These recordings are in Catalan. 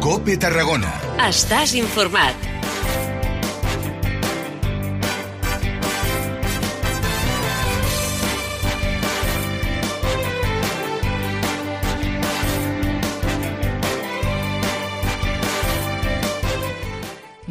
COPE Tarragona. Estàs informat.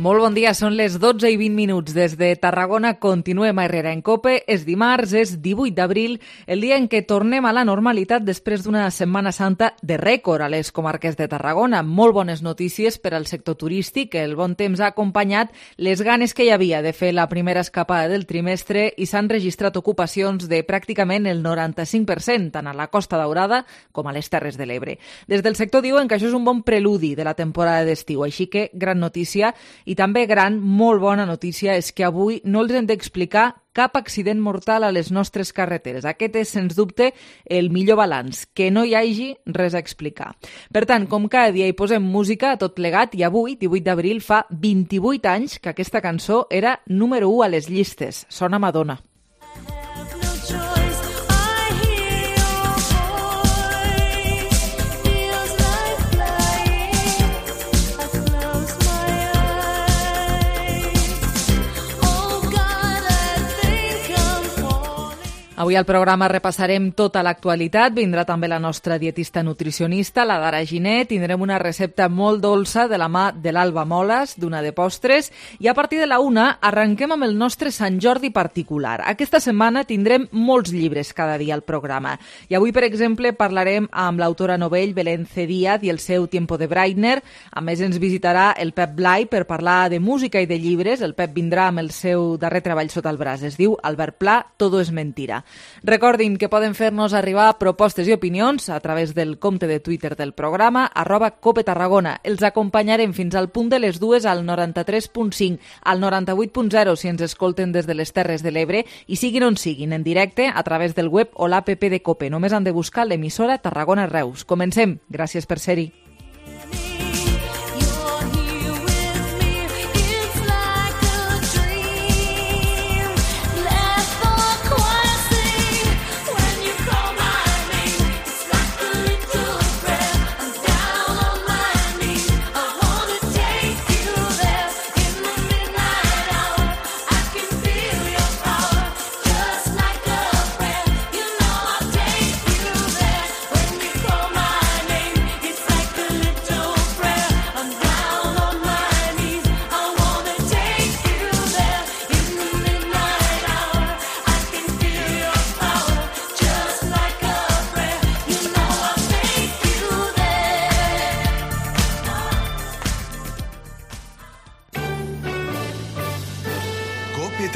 Molt bon dia, són les 12 i 20 minuts. Des de Tarragona continuem a Herrera en COPE. És dimarts, és 18 d'abril, el dia en què tornem a la normalitat després d'una Setmana Santa de rècord a les comarques de Tarragona. Molt bones notícies per al sector turístic. El bon temps ha acompanyat les ganes que hi havia de fer la primera escapada del trimestre i s'han registrat ocupacions de pràcticament el 95%, tant a la Costa Daurada com a les Terres de l'Ebre. Des del sector diuen que això és un bon preludi de la temporada d'estiu, així que gran notícia. I també molt bona notícia és que avui no els hem d'explicar cap accident mortal a les nostres carreteres. Aquest és, sens dubte, el millor balanç, que no hi hagi res a explicar. Per tant, com cada dia hi posem música a tot plegat, i avui, 18 d'abril, fa 28 anys que aquesta cançó era número 1 a les llistes. Sona Madonna. Avui al programa repassarem tota l'actualitat, vindrà també la nostra dietista nutricionista, la Dara Giné, tindrem una recepta molt dolça de la mà de l'Alba Moles, d'una de postres, i a partir de la 1 arrenquem amb el nostre Sant Jordi particular. Aquesta setmana tindrem molts llibres cada dia al programa, i avui, per exemple, parlarem amb l'autora novell Belén C. Díaz i el seu Tiempo de Breitner. A més, ens visitarà el Pep Blai per parlar de música i de llibres. El Pep vindrà amb el seu darrer treball sota el braç, es diu Albert Pla, Todo es mentira. Recordin que poden fer-nos arribar propostes i opinions a través del compte de Twitter del programa, @COPETarragona. Els acompanyarem fins al punt de les 2 al 93.5, al 98.0 si ens escolten des de les Terres de l'Ebre i siguin on siguin, en directe a través del web o l'app de COPE. Només han de buscar l'emissora Tarragona Reus. Comencem. Gràcies per ser-hi.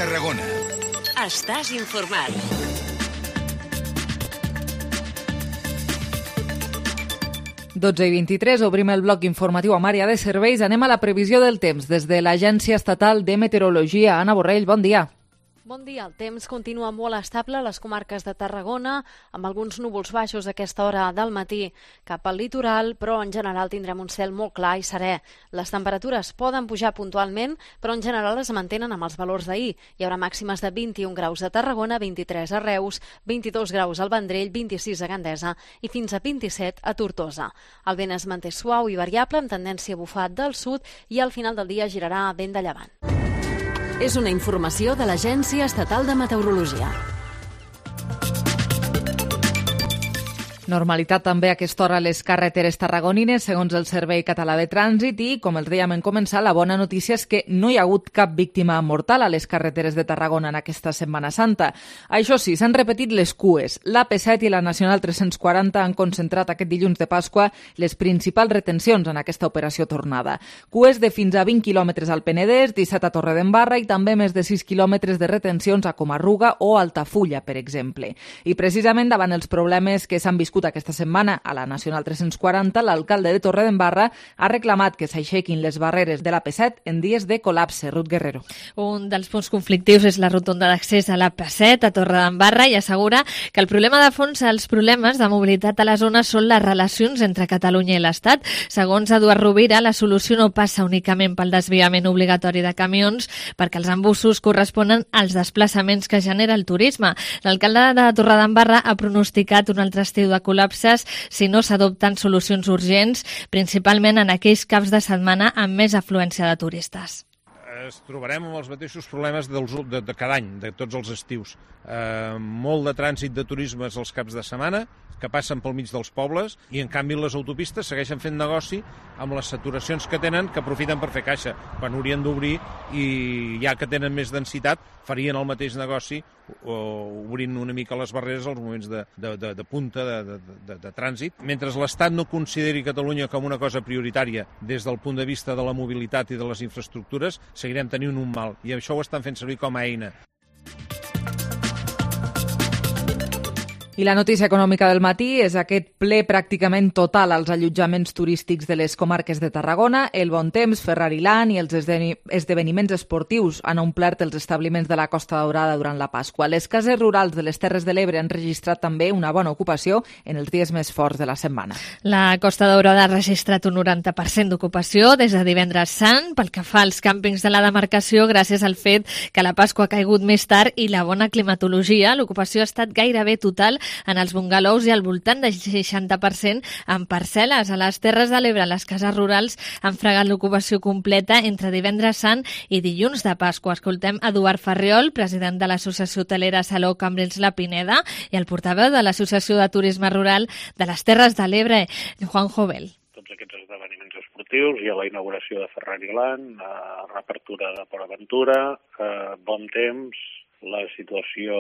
Tarragona. Estàs informat. Dotze i 23, obrim el bloc informatiu amb àrea de serveis. Anem a la previsió del temps des de l'Agència Estatal de Meteorologia. Anna Borrell, bon dia. Bon dia. El temps continua molt estable a les comarques de Tarragona, amb alguns núvols baixos a aquesta hora del matí cap al litoral, però en general tindrem un cel molt clar i serè. Les temperatures poden pujar puntualment, però en general es mantenen amb els valors d'ahir. Hi haurà màximes de 21 graus a Tarragona, 23 a Reus, 22 graus al Vendrell, 26 a Gandesa i fins a 27 a Tortosa. El vent es manté suau i variable, amb tendència a bufar del sud, i al final del dia girarà vent de llevant. És una informació de l'Agència Estatal de Meteorologia. Normalitat també a aquesta hora a les carreteres tarragonines, segons el Servei Català de Trànsit, i, com els dèiem en començar, la bona notícia és que no hi ha hagut cap víctima mortal a les carreteres de Tarragona en aquesta Setmana Santa. Això sí, s'han repetit les cues. L'AP7 i la Nacional 340 han concentrat aquest dilluns de Pasqua les principals retencions en aquesta operació tornada. Cues de fins a 20 quilòmetres al Penedès, 17 a Torredembarra i també més de 6 quilòmetres de retencions a Comarruga o Altafulla, per exemple. I precisament davant els problemes que s'han viscut aquesta setmana a la Nacional 340, l'alcalde de Torredembarra ha reclamat que s'aixequin les barreres de l'AP7 en dies de col·lapse. Ruth Guerrero. Un dels punts conflictius és la rotonda d'accés a l'AP7 a Torredembarra i assegura que el problema de fons, els problemes de mobilitat a la zona són les relacions entre Catalunya i l'Estat. Segons Eduard Rovira, la solució no passa únicament pel desviament obligatori de camions, perquè els embussos corresponen als desplaçaments que genera el turisme. L'alcalde de Torredembarra ha pronosticat un altre estiu de col·lapses si no s'adopten solucions urgents, principalment en aquells caps de setmana amb més afluència de turistes. Es trobarem amb els mateixos problemes de cada any, de tots els estius. Molt de trànsit de turismes als caps de setmana, que passen pel mig dels pobles, i en canvi les autopistes segueixen fent negoci amb les saturacions que tenen, que aprofiten per fer caixa, quan haurien d'obrir, i ja que tenen més densitat, farien el mateix negoci obrint una mica les barreres als moments de punta de trànsit. Mentre l'Estat no consideri Catalunya com una cosa prioritària des del punt de vista de la mobilitat i de les infraestructures, seguirem tenint un mal, i això ho estan fent servir com a eina. I la notícia econòmica del matí és aquest ple pràcticament total als allotjaments turístics de les comarques de Tarragona. El bon temps, Ferrari-Land i els esdeveniments esportius han omplert els establiments de la Costa Daurada durant la Pasqua. Les cases rurals de les Terres de l'Ebre han registrat també una bona ocupació en els dies més forts de la setmana. La Costa Daurada ha registrat un 90% d'ocupació des de divendres sant pel que fa als càmpings de la demarcació gràcies al fet que la Pasqua ha caigut més tard i la bona climatologia. L'ocupació ha estat gairebé total en els bungalows i al voltant del 60% en parcel·les. A les Terres de l'Ebre, les cases rurals han fregat l'ocupació completa entre divendres sant i dilluns de Pasqua. Escoltem Eduard Farriol, president de l'Associació Hotelera Saló Cambrils La Pineda, i el portaveu de l'Associació de Turisme Rural de les Terres de l'Ebre, Juan Jovel. Tots aquests esdeveniments esportius, hi ha la inauguració de Ferrari-Land, reapertura de Port Aventura, bon temps, la situació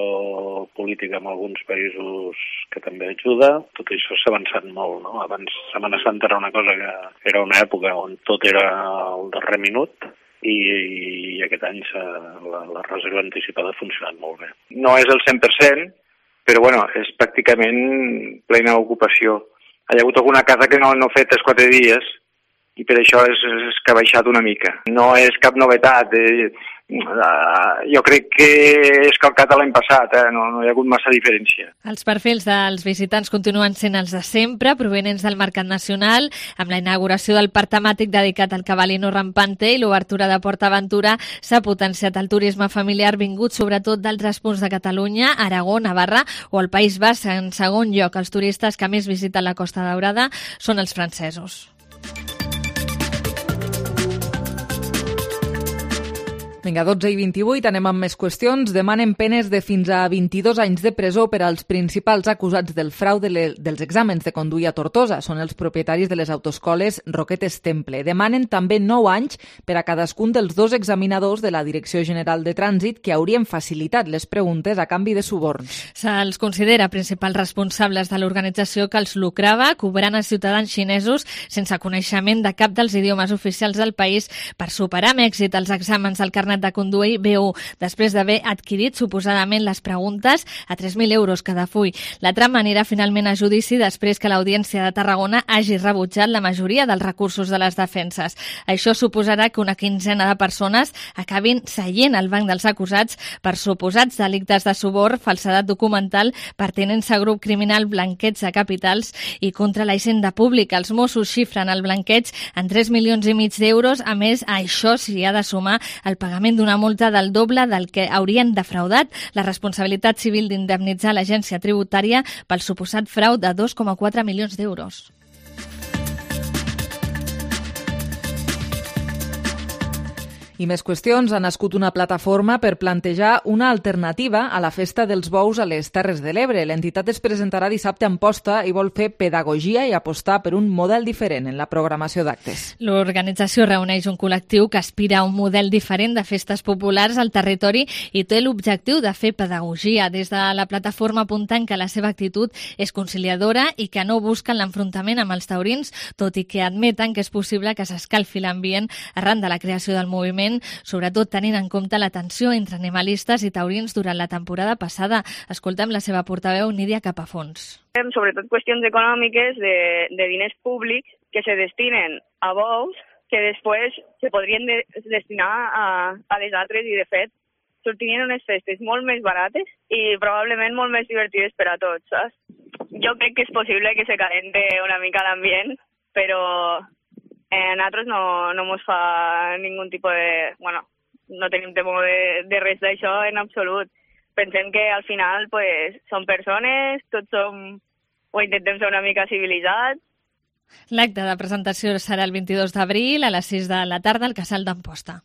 política en alguns països que també ajuda. Tot això s'ha avançat molt, no? Abans Setmana Santa era una cosa que era una època on tot era al darrer minut i aquest any la reserva anticipada ha funcionat molt bé. No és el 100%, però bueno, és pràcticament plena ocupació. Hi ha hagut alguna casa que no ha fet 3-4 dies i per això és que ha baixat una mica. No és cap novetat. Jo crec que és calcat l'any passat, no hi ha hagut massa diferència. Els perfils dels visitants continuen sent els de sempre, provenents del Mercat Nacional, amb la inauguració del parc temàtic dedicat al Cavallino Rampante i l'obertura de Port Aventura s'ha potenciat el turisme familiar vingut sobretot d'altres punts de Catalunya, Aragó, Navarra o el País Basc. En segon lloc, els turistes que més visiten la Costa Daurada són els francesos. Vinga, 12:28, anem amb més qüestions. Demanen penes de fins a 22 anys de presó per als principals acusats del frau dels exàmens de conduir a Tortosa. Són els propietaris de les autoescoles Roquetes Temple. Demanen també 9 anys per a cadascun dels 2 examinadors de la Direcció General de Trànsit que haurien facilitat les preguntes a canvi de suborns. Se'ls considera principals responsables de l'organització que els lucrava cobrant a ciutadans xinesos sense coneixement de cap dels idiomes oficials del país per superar amb èxit els exàmens del carnet de conduir B1, després d'haver adquirit suposadament les preguntes a 3.000 euros cada full. La trama anirà finalment a judici després que l'Audiència de Tarragona hagi rebutjat la majoria dels recursos de les defenses. Això suposarà que una quinzena de persones acabin seient al banc dels acusats per suposats delictes de suborn, falsedat documental, pertinença a grup criminal, blanqueig de capitals i contra la hisenda pública. Els Mossos xifren el blanqueig en 3,5 milions d'euros. A més, a això s'hi ha de sumar el pagament d'una multa del doble del que haurien defraudat, la responsabilitat civil d'indemnitzar l'agència tributària pel suposat frau de 2,4 milions d'euros. I més qüestions. Ha nascut una plataforma per plantejar una alternativa a la festa dels bous a les Terres de l'Ebre. L'entitat es presentarà dissabte a Amposta i vol fer pedagogia i apostar per un model diferent en la programació d'actes. L'organització reuneix un col·lectiu que aspira a un model diferent de festes populars al territori i té l'objectiu de fer pedagogia. Des de la plataforma apunten que la seva actitud és conciliadora i que no busquen l'enfrontament amb els taurins, tot i que admeten que és possible que s'escalfi l'ambient arran de la creació del moviment, sobretot tenint en compte la tensió entre animalistes i taurins durant la temporada passada. Escoltem la seva portaveu, Nídia Capafons. Sobretot qüestions econòmiques de diners públics que se destinen a bous que després se podrien destinar a les altres i, de fet, sortirien unes festes molt més barates i probablement molt més divertides per a tots, saps? Jo crec que és possible que se calente una mica l'ambient, però nosaltres no mos fa ningú tipus de... Bueno, no tenim temor de res d'això en absolut. Pensem que al final pues, són persones, tots som o intentem ser una mica civilitzats. L'acte de presentació serà el 22 d'abril a les 6 de la tarda al Casal d'Amposta.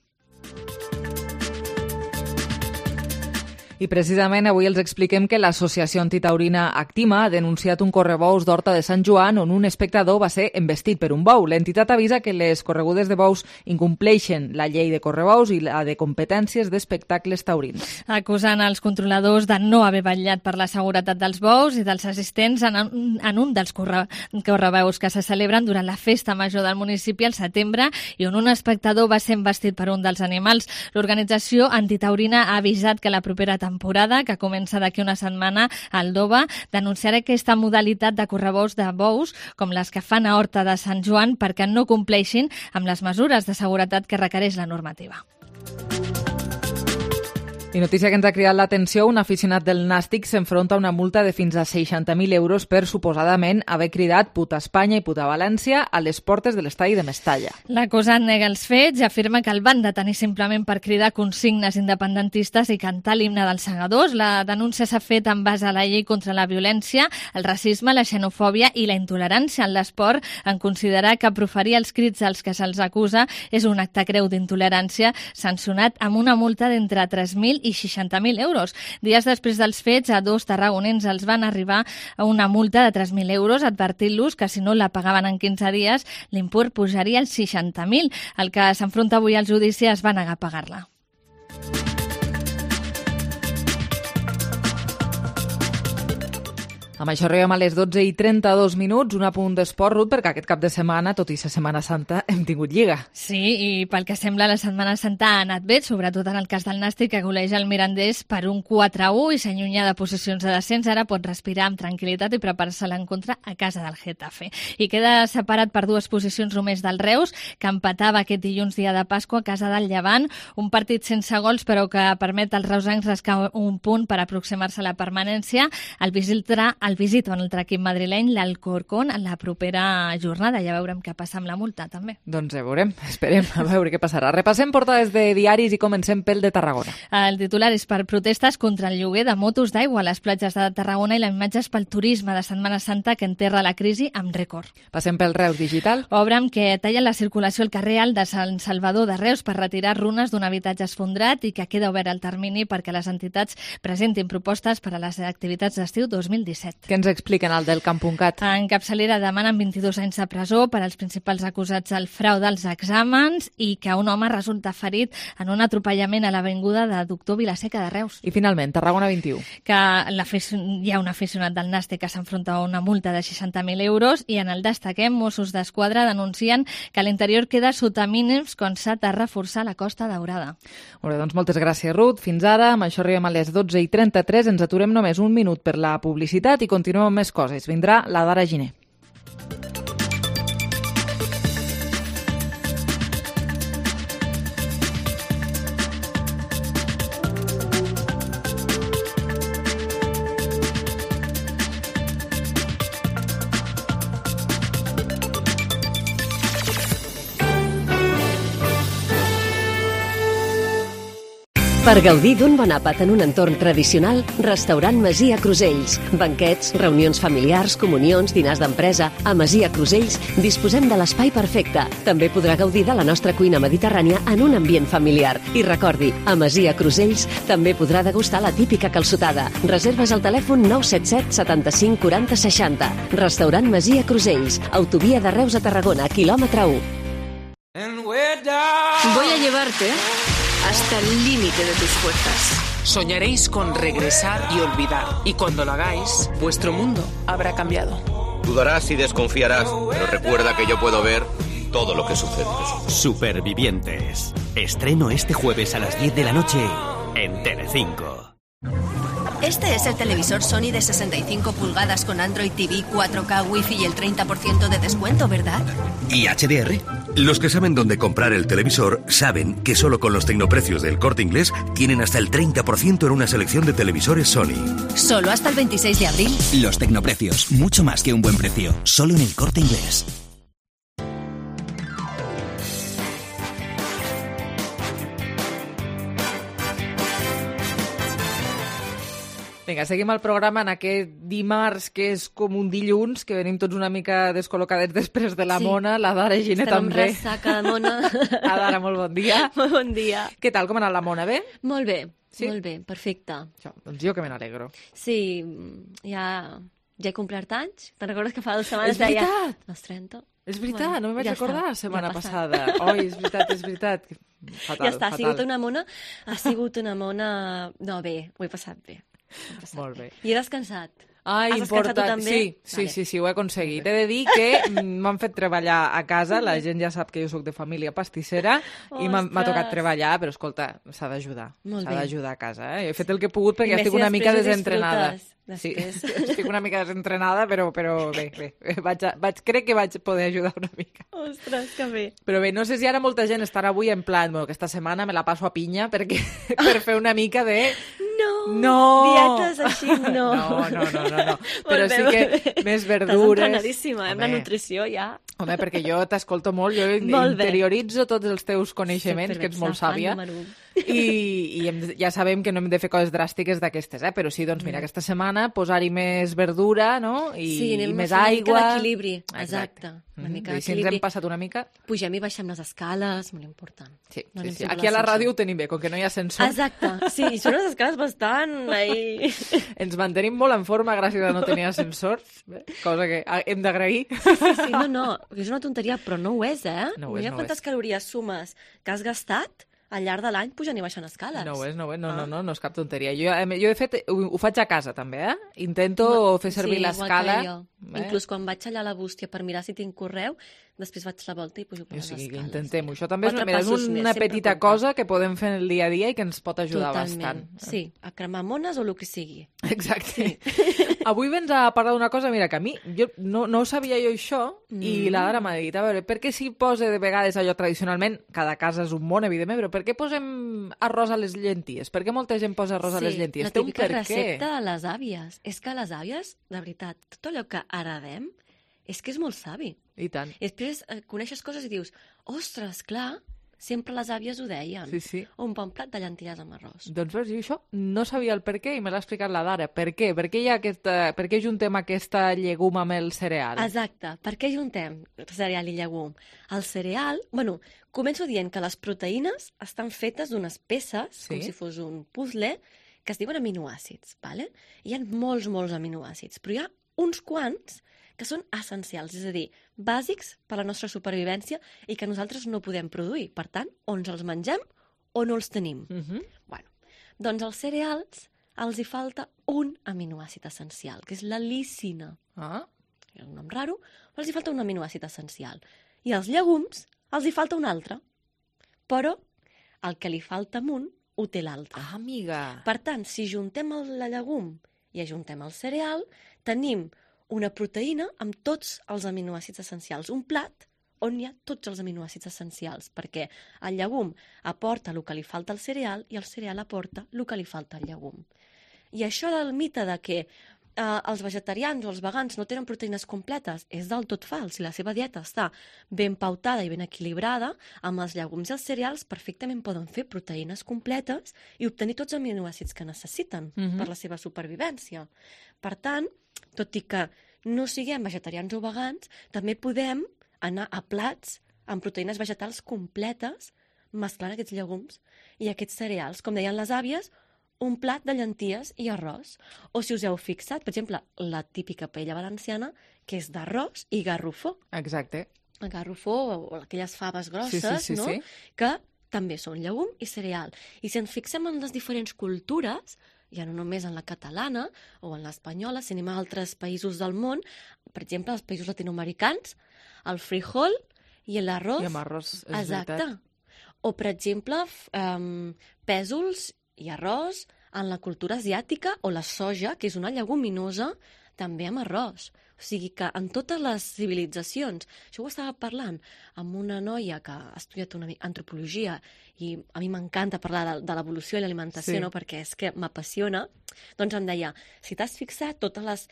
I precisament avui els expliquem que l'associació antitaurina Actima ha denunciat un correbous d'Horta de Sant Joan on un espectador va ser embestit per un bou. L'entitat avisa que les corregudes de bous incompleixen la llei de correbous i la de competències d'espectacles taurins. Acusant els controladors de no haver vetllat per la seguretat dels bous i dels assistents en un dels correveus que se celebren durant la festa major del municipi al setembre i on un espectador va ser embestit per un dels animals. L'organització antitaurina ha avisat que la propera temporada, que comença d'aquí una setmana a Aldoba, denunciarà aquesta modalitat de correbous de bous, com les que fan a Horta de Sant Joan, perquè no compleixin amb les mesures de seguretat que requereix la normativa. I notícia que ens ha cridat l'atenció, un aficionat del Nàstic s'enfronta a una multa de fins a 60.000 euros per suposadament haver cridat puta Espanya i puta València a les portes de l'estadi de Mestalla. L'acusat nega els fets i afirma que el van detenir simplement per cridar consignes independentistes i cantar l'himne dels segadors. La denúncia s'ha fet en base a la llei contra la violència, el racisme, la xenofòbia i la intolerància en l'esport, en considerar que proferir els crits als que se'ls acusa és un acte greu d'intolerància sancionat amb una multa d'entre 3.000 i 60.000 euros. Dies després dels fets, a 2 tarragonins els van arribar a una multa de 3.000 euros, advertint-los que si no la pagaven en 15 dies, l'import pujaria als 60.000. El que s'enfronta avui al judici es va negar a pagar-la. Amb això arribem a les 12:32, un apunt d'esport, Ruth, perquè aquest cap de setmana, tot i ser Setmana Santa, hem tingut Lliga. Sí, i pel que sembla la Setmana Santa ha anat bé, sobretot en el cas del Nàstic, que goleja el Mirandés per un 4-1 i s'allunya de posicions de descens. Ara pot respirar amb tranquil·litat i preparar-se a l'encontre a casa del Getafe. I queda separat per 2 posicions només del Reus, que empatava aquest dilluns dia de Pasqua a casa del Llevant, un partit sense gols però que permet als reusencs rascar un punt per aproximar-se a la permanència. El visita un altre equip madrileny, l'Alcorcón, en la propera jornada. Ja veurem què passa amb la multa, també. Doncs ja veurem, esperem a veure què passarà. Repassem portades de diaris i comencem pel de Tarragona. El titular és per protestes contra el lloguer de motos d'aigua a les platges de Tarragona i la imatge és pel turisme de Setmana Santa que enterra la crisi amb rècord. Passem pel Reus Digital. Obren que tallen la circulació al carrer Alt de Sant Salvador de Reus per retirar runes d'un habitatge esfondrat i que queda obert el termini perquè les entitats presentin propostes per a les activitats d'estiu 2017. Què ens expliquen al del Camp.cat? En capçalera demanen 22 anys de presó per als principals acusats del frau dels exàmens i que un home resulta ferit en un atropellament a l'avinguda de Doctor Vilaseca de Reus. I finalment, Tarragona 21. Que hi ha un aficionat del Nàstic que s'enfronta a una multa de 60.000 euros i en el destaquem, Mossos d'Esquadra denuncien que l'interior queda sota mínims quan s'ha de reforçar la Costa Daurada. Molt bé, doncs moltes gràcies, Ruth. Fins ara, amb això arribem a les 12:33. Ens aturem només un minut per la publicitat i continuem amb més coses. Vindrà la Dara Giner. Per gaudir d'un bon àpat en un entorn tradicional, Restaurant Masia Crusells. Banquets, reunions familiars, comunions, dinars d'empresa. A Masia Crusells disposem de l'espai perfecte. També podrà gaudir de la nostra cuina mediterrània en un ambient familiar. I recordi, a Masia Crusells també podrà degustar la típica calçotada. Reserves al telèfon 977 75 40 60. Restaurant Masia Crusells. Autovia de Reus a Tarragona, quilòmetre 1. Voy a llevarte hasta el límite de tus fuerzas. Soñaréis con regresar y olvidar. Y cuando lo hagáis, vuestro mundo habrá cambiado. Dudarás y desconfiarás, pero recuerda que yo puedo ver todo lo que sucede. Supervivientes. Estreno este jueves a las 10 de la noche en Telecinco. Este es el televisor Sony de 65 pulgadas con Android TV, 4K, Wi-Fi y el 30% de descuento, ¿verdad? ¿Y HDR? Los que saben dónde comprar el televisor saben que solo con los tecnoprecios del Corte Inglés tienen hasta el 30% en una selección de televisores Sony. ¿Solo hasta el 26 de abril? Los tecnoprecios, mucho más que un buen precio, solo en el Corte Inglés. Vinga, seguim el programa en aquest dimarts, que és com un dilluns, que venim tots una mica descol·locadets després de la Mona, la Dara i Gine també. Estem amb ressaca de Mona. Dara, molt bon dia. Molt bon dia. Què tal, com ha anat la Mona, bé? Molt bé, molt bé, perfecte. Això, doncs jo que me n'alegro. Sí, ja he complert anys. Te'n recordes que fa 2 setmanes deia... És veritat! Els 30. És veritat, no me'n vaig recordar la setmana passada. Oi, és veritat. Fatal, ja està, ha sigut una mona... No, bé, ho he passat bé. Molt bé. I he descansat. Has descansat tu també? Sí, ho he aconseguit. He de dir que m'han fet treballar a casa, la gent ja sap que jo sóc de família pastissera i m'ha tocat treballar, però escolta, s'ha d'ajudar. S'ha d'ajudar a casa. He fet el que he pogut perquè estic una mica desentrenada. Sí, estic una mica desentrenada, però bé. Crec que vaig poder ajudar una mica. Ostres, que bé. Però bé, no sé si ara molta gent estarà avui en plan, bueno, aquesta setmana me la passo a pinya per fer una mica de... No, dietes així, no. No. Però sí que més verdures... Estàs entrenadíssima, la nutrició ja... Home, perquè jo t'escolto molt, jo interioritzo tots els teus coneixements, que ets molt sàvia, i ja sabem que no hem de fer coses dràstiques d'aquestes, però sí, doncs mira, aquesta setmana posar-hi més verdura, no? I més aigua... Sí, una mica d'equilibri, exacte. I si ens hem passat una mica... Pugem i baixem les escales, molt important. Sí. Aquí a la ràdio ho tenim bé, com que no hi ha ascensor. Exacte, sí, i són unes escales bastant... Ens mantenim molt en forma gràcies a no tenir ascensors, cosa que hem d'agrair. Sí, no, és una tonteria, però no ho és, eh? Mira quantes calories sumes que has gastat al llarg de l'any pujant i baixant escales. No ho és, no és cap tonteria. Jo, de fet, ho faig a casa, també, Intento fer servir l'escala. Sí, igual que jo. Inclús quan vaig allà a la bústia per mirar si tinc correu, després faig la volta i pujo per les escales. Que intentem-ho. Això també és una petita cosa que podem fer el dia a dia i que ens pot ajudar bastant. Sí, a cremar mones o el que sigui. Exacte. Avui vens a parlar d'una cosa, mira, que a mi, no sabia jo això, i la Dara m'ha dit, a veure, per què s'hi posa de vegades allò tradicionalment, cada casa és un món, evidentment, però per què posem arròs a les llenties? Per què molta gent posa arròs a les llenties? Sí, la típica recepta de les àvies. És que les àvies, de veritat, tot allò que heredem, és que és molt savi. I tant. I després coneixes coses i dius, ostres, clar, sempre les àvies ho deien. Sí. Un bon plat de llenties amb arròs. Doncs veus, jo això no sabia el per què i me l'ha explicat la Dara. Per què? Per què juntem aquesta llegum amb el cereal? Exacte. Per què juntem cereal i llegum? El cereal... Bueno, començo dient que les proteïnes estan fetes d'unes peces, com si fos un puzzle, que es diuen aminoàcids, ¿vale? Hi ha molts aminoàcids, però hi ha uns quants que són essencials, és a dir, bàsics per a la nostra supervivència i que nosaltres no podem produir. Per tant, o ens els mengem o no els tenim. Bueno, doncs als cereals els hi falta un aminoàcid essencial, que és la lisina. És un nom raro, però els hi falta un aminoàcid essencial. I als llegums els hi falta un altre. Però el que li falta a un ho té l'altre. Ah, amiga! Per tant, si juntem el llegum i ajuntem el cereal, tenim una proteïna amb tots els aminoàcids essencials. Un plat on hi ha tots els aminoàcids essencials, perquè el llegum aporta el que li falta al cereal i el cereal aporta el que li falta al llegum. I això del mite de que els vegetarians o els vegans no tenen proteïnes completes és del tot fals. Si la seva dieta està ben pautada i ben equilibrada, amb els llegums i els cereals perfectament poden fer proteïnes completes i obtenir tots els aminoàcids que necessiten per la seva supervivència. Per tant, tot i que no siguem vegetarians o vegans, també podem anar a plats amb proteïnes vegetals completes, mesclant aquests llegums i aquests cereals. Com deien les àvies, un plat de llenties i arròs. O si us heu fixat, per exemple, la típica paella valenciana, que és d'arròs i garrofó. Exacte. El garrofó o aquelles faves grosses, no? Que també són llegum i cereal. I si ens fixem en les diferents cultures, ja no només en la catalana o en l'espanyola, si anem a altres països del món, per exemple, els països latinoamericans, el frijol i l'arròs. I amb arròs, és exacte. Veritat. O, per exemple, pèsols i arròs en la cultura asiàtica, o la soja, que és una lleguminosa, també amb arròs. O sigui que en totes les civilitzacions, això ho estava parlant amb una noia que ha estudiat una antropologia i a mi m'encanta parlar de l'evolució i l'alimentació, no? Perquè és que m'apassiona, doncs em deia, si t'has fixat totes les...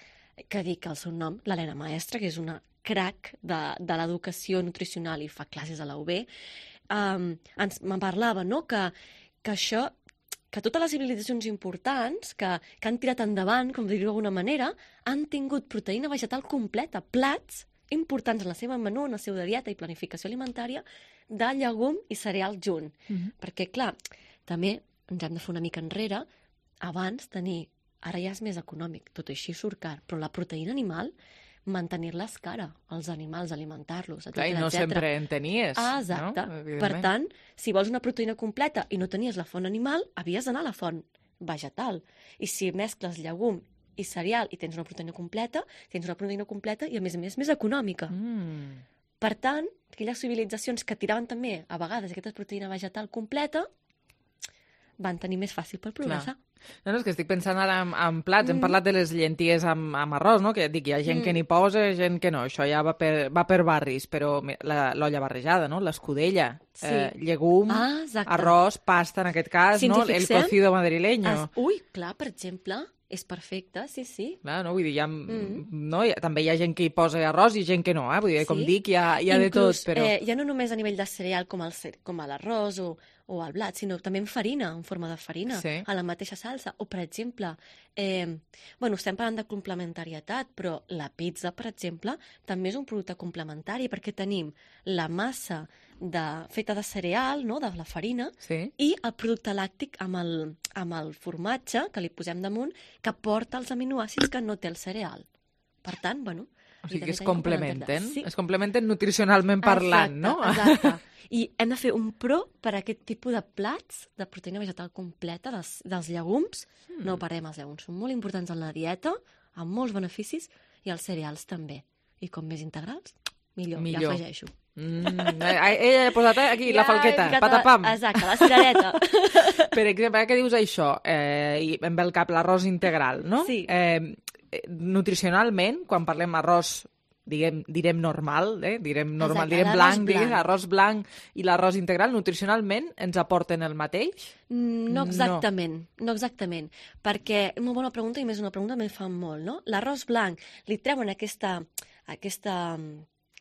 que dic el seu nom, l'Helena Maestre, que és una crac de l'educació nutricional i fa classes a la UB, me'n parlava, no? Que això que totes les civilitzacions importants que han tirat endavant, com dir-ho d'alguna manera, han tingut proteïna vegetal completa, plats importants en la seva menú, en la seva dieta i planificació alimentària, de llegum i cereal junt. Perquè, clar, també ens hem de fer una mica enrere, abans ara ja és més econòmic, tot així surt car, però la proteïna animal, mantenir-la és cara, els animals, alimentar-los, etc. I no sempre en tenies. Exacte. No? Per tant, si vols una proteïna completa i no tenies la font animal, havies d'anar a la font vegetal. I si mescles llegum i cereal i tens una proteïna completa, i a més més econòmica. Per tant, aquelles civilitzacions que tiraven també a vegades aquesta proteïna vegetal completa van tenir més fàcil per progressar. No, és que estic pensant ara en plats. Hem parlat de les llenties amb arròs, no? Que ja et dic, hi ha gent que n'hi posa, gent que no. Això ja va per barris, però l'olla barrejada, no? L'escudella, llegum, arròs, pasta, en aquest cas, no? El cocido madrileño. Ui, clar, per exemple, és perfecte, sí. Clar, no? Vull dir, també hi ha gent que hi posa arròs i gent que no, Vull dir, com dic, hi ha de tot, però... Ja no només a nivell de cereal com l'arròs o el blat, sinó també en farina, en forma de farina, a la mateixa salsa. O, per exemple, estem parlant de complementarietat, però la pizza, per exemple, també és un producte complementari perquè tenim la massa feta de cereal, no?, de la farina, i el producte làctic amb el formatge que li posem damunt, que porta els aminoàcids que no té el cereal. Per tant, o sigui que es complementen, es complementen nutricionalment parlant, no? Exacte. I hem de fer un pro per a aquest tipus de plats de proteïna vegetal completa dels llegums. No parem, els llegums són molt importants en la dieta, amb molts beneficis, i els cereals també. I com més integrals, millor. Ja afegeixo. Ella ha posat aquí la falqueta, patapam. Exacte, la cirereta. Per exemple, que dius això, i em ve al cap l'arròs integral, no? Sí. Nutricionalment, quan parlem arròs, direm normal, direm blanc, arròs blanc i l'arròs integral, nutricionalment ens aporten el mateix? No exactament, perquè una bona pregunta, i més una pregunta me fa molt, no? L'arròs blanc li treuen aquesta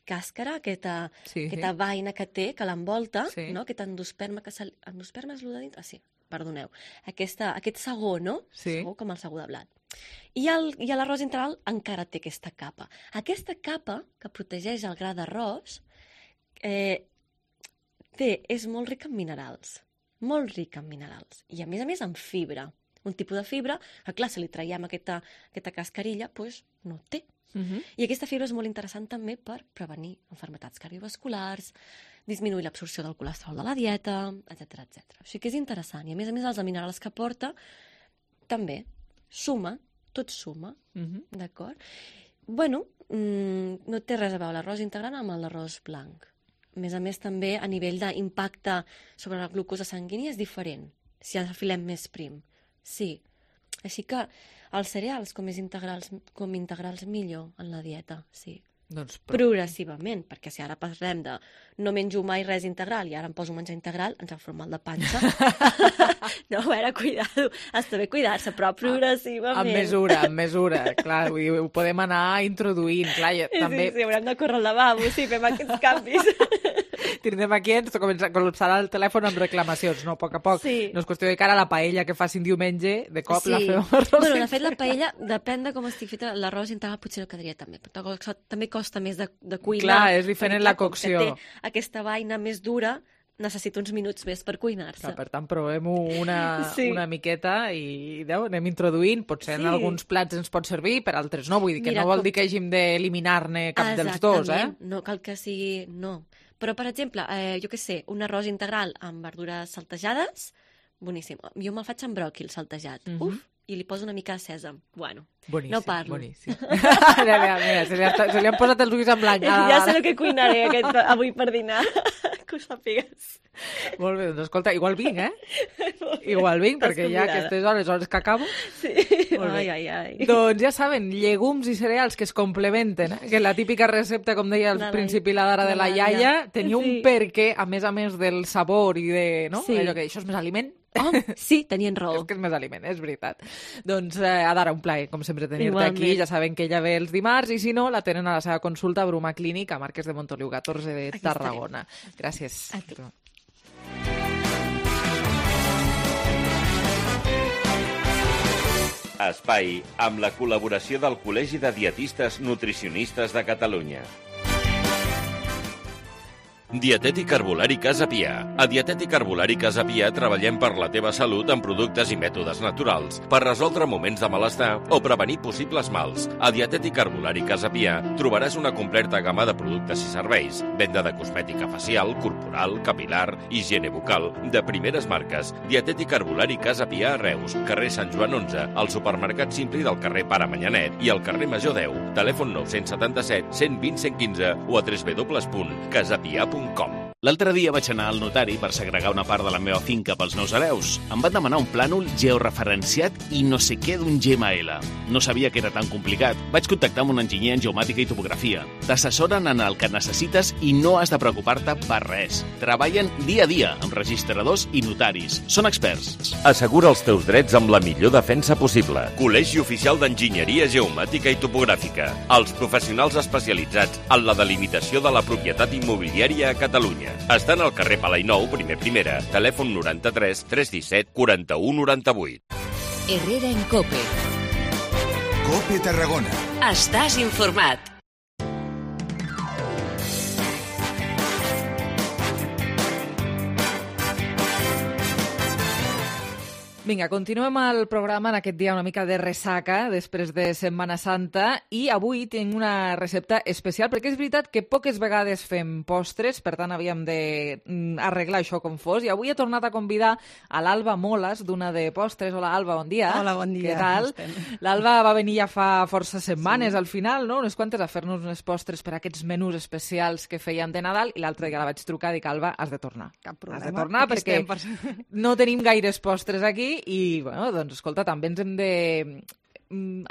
càscara, aquesta vaina que té, que l'envolta, no? Aquest endosperma, endosperma és el de dintre? Sí, perdoneu. Aquest sagó, no? Sagó com el sagó de blat. I l'arròs integral encara té aquesta capa. Aquesta capa, que protegeix el gra d'arròs, és molt ric en minerals. Molt ric en minerals. I a més en fibra. Un tipus de fibra que, clar, si li traiem aquesta cascarilla, doncs no té. I aquesta fibra és molt interessant també per prevenir malalties cardiovasculars, disminuir l'absorció del colesterol de la dieta, etc. O sigui que és interessant. I a més els minerals que porta també suma, tot suma, d'acord? No té res a veure l'arròs integral amb l'arròs blanc. A més també a nivell d'impacte sobre la glucosa sanguínia és diferent, si afilem més prim. Sí. Així que els cereals com integrals millor en la dieta, sí. Progressivament, perquè si ara parlem de no menjo mai res integral i ara em poso a menjar integral, ens fa mal de panxa. No, a veure, cuidado, està bé cuidar-se, però progressivament. Amb mesura, clar, ho podem anar introduint, clar, també... Sí, haurem de córrer al lavabo, sí, fem aquests canvis. Tindrem aquí, ens col·lapsarà el telèfon amb reclamacions, no? A poc a poc. No és qüestió de cara a la paella que facin diumenge, de cop la fem amb arròs. De fet, la paella, depèn de com estic feta, l'arròs integral potser no quedaria tan bé, però també costa més de cuinar. Clar, és diferent la cocció. Com que té aquesta vaina més dura, necessita uns minuts més per cuinar-se. Per tant, provem-ho una miqueta i anem introduint. Potser en alguns plats ens pot servir, per altres no. Vull dir que no vol dir que hàgim d'eliminar-ne cap dels dos, No cal que sigui... No. Però, per exemple, jo què sé, un arròs integral amb verdures saltejades, boníssim. Jo me'l faig amb bròquil saltejat. I li poso una mica de sèsam. Bueno, boníssim, no parlo. Boníssim. Mira, se li han posat els ulls en blanc. Ja sé el que cuinaré avui per dinar. Que us sàpigues. Molt bé, doncs escolta, igual vinc, Igual vinc, perquè ja aquestes hores que acabo... Sí, ai. Doncs ja saben, llegums i cereals que es complementen, que la típica recepta, com deia al principi la d'ara de la iaia, tenia un perquè, a més del sabor i de... No? Allò que això és més aliment. Sí, tenien raó. És que és més aliment, és veritat. Doncs, Adara, un plaer, com sempre, tenir-te aquí. Ja saben que ella ve els dimarts i, si no, la tenen a la seva consulta a Bruma Clínic, a Marquès de Montoliu 14 de Tarragona. Gràcies. A tu. Espai amb la col·laboració del Col·legi de Dietistes Nutricionistes de Catalunya. Dietètic Herbolari Casa Pia. A Dietètic Herbolari Casa Pia treballem per la teva salut amb productes i mètodes naturals, per resoldre moments de malestar o prevenir possibles mals. A Dietètic Herbolari Casa Pia trobaràs una completa gamma de productes i serveis, venda de cosmètica facial, corporal, capilar, higiene bucal, de primeres marques. Dietètic Herbolari Casa Pia a Reus, carrer Sant Joan 11, al supermercat Simpli del carrer Pare Manyanet i al carrer Major 10. Telèfon 977 120 115 o a www.casapia.com. L'altre dia vaig anar al notari per segregar una part de la meva finca pels meus hereus. Em van demanar un plànol georreferenciat i no sé què d'un GML. No sabia que era tan complicat. Vaig contactar amb un enginyer en geomàtica i topografia. T'assessoren en el que necessites i no has de preocupar-te per res. Treballen dia a dia amb registradors i notaris. Són experts. Assegura els teus drets amb la millor defensa possible. Col·legi Oficial d'Enginyeria Geomàtica i Topogràfica. Els professionals especialitzats en la delimitació de la propietat immobiliària a Catalunya. Estan al carrer Palainou, primer primera. Telèfon 93 317 41 98. Herrera en COPE. COPE Tarragona. Estàs informat. Vinga, continuem el programa en aquest dia una mica de ressaca després de Setmana Santa i avui tinc una recepta especial perquè és veritat que poques vegades fem postres, per tant havíem d'arreglar això com fos i avui he tornat a convidar a l'Alba Moles d'una de postres. Hola Alba, bon dia. Hola, bon dia. Què tal? L'Alba va venir ja fa força setmanes al final, no? Unes quantes a fer-nos unes postres per aquests menús especials que fèiem de Nadal i l'altre dia la vaig trucar i dic, Alba, has de tornar. Cap problema. Has de tornar perquè no tenim gaires postres aquí i, bueno, doncs, escolta, també ens hem de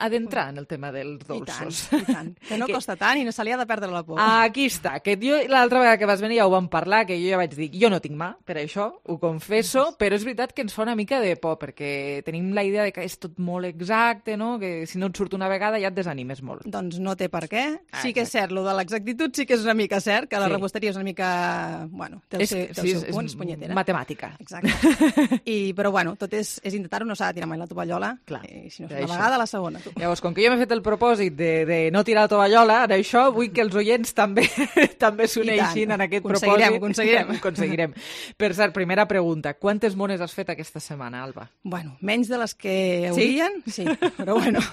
adentrar en el tema dels dolços. I tant. Que no costa tant i no se li ha de perdre la por. Aquí està, que jo l'altra vegada que vas venir ja ho vam parlar, que jo ja vaig dir, jo no tinc mà per això, ho confesso, però és veritat que ens fa una mica de por, perquè tenim la idea de que és tot molt exacte, no? Que si no et surt una vegada ja et desanimes molt. Doncs no té per què. Sí que és cert, lo de l'exactitud sí que és una mica cert, que la reposteria és una mica, bueno, té el seu punt, és punyetera. Matemàtica. Exacte. Però bueno, tot és intentar-ho, no s'ha de tirar mai la tovallola, i si no és una vegada, la segona. Llavors, com que jo m'he fet el propòsit de no tirar la tovallola, en això vull que els oients també s'uneixin en aquest propòsit. Ho aconseguirem. Per cert, primera pregunta. Quantes mones has fet aquesta setmana, Alba? Bueno, menys de les que haurien, sí, però bueno.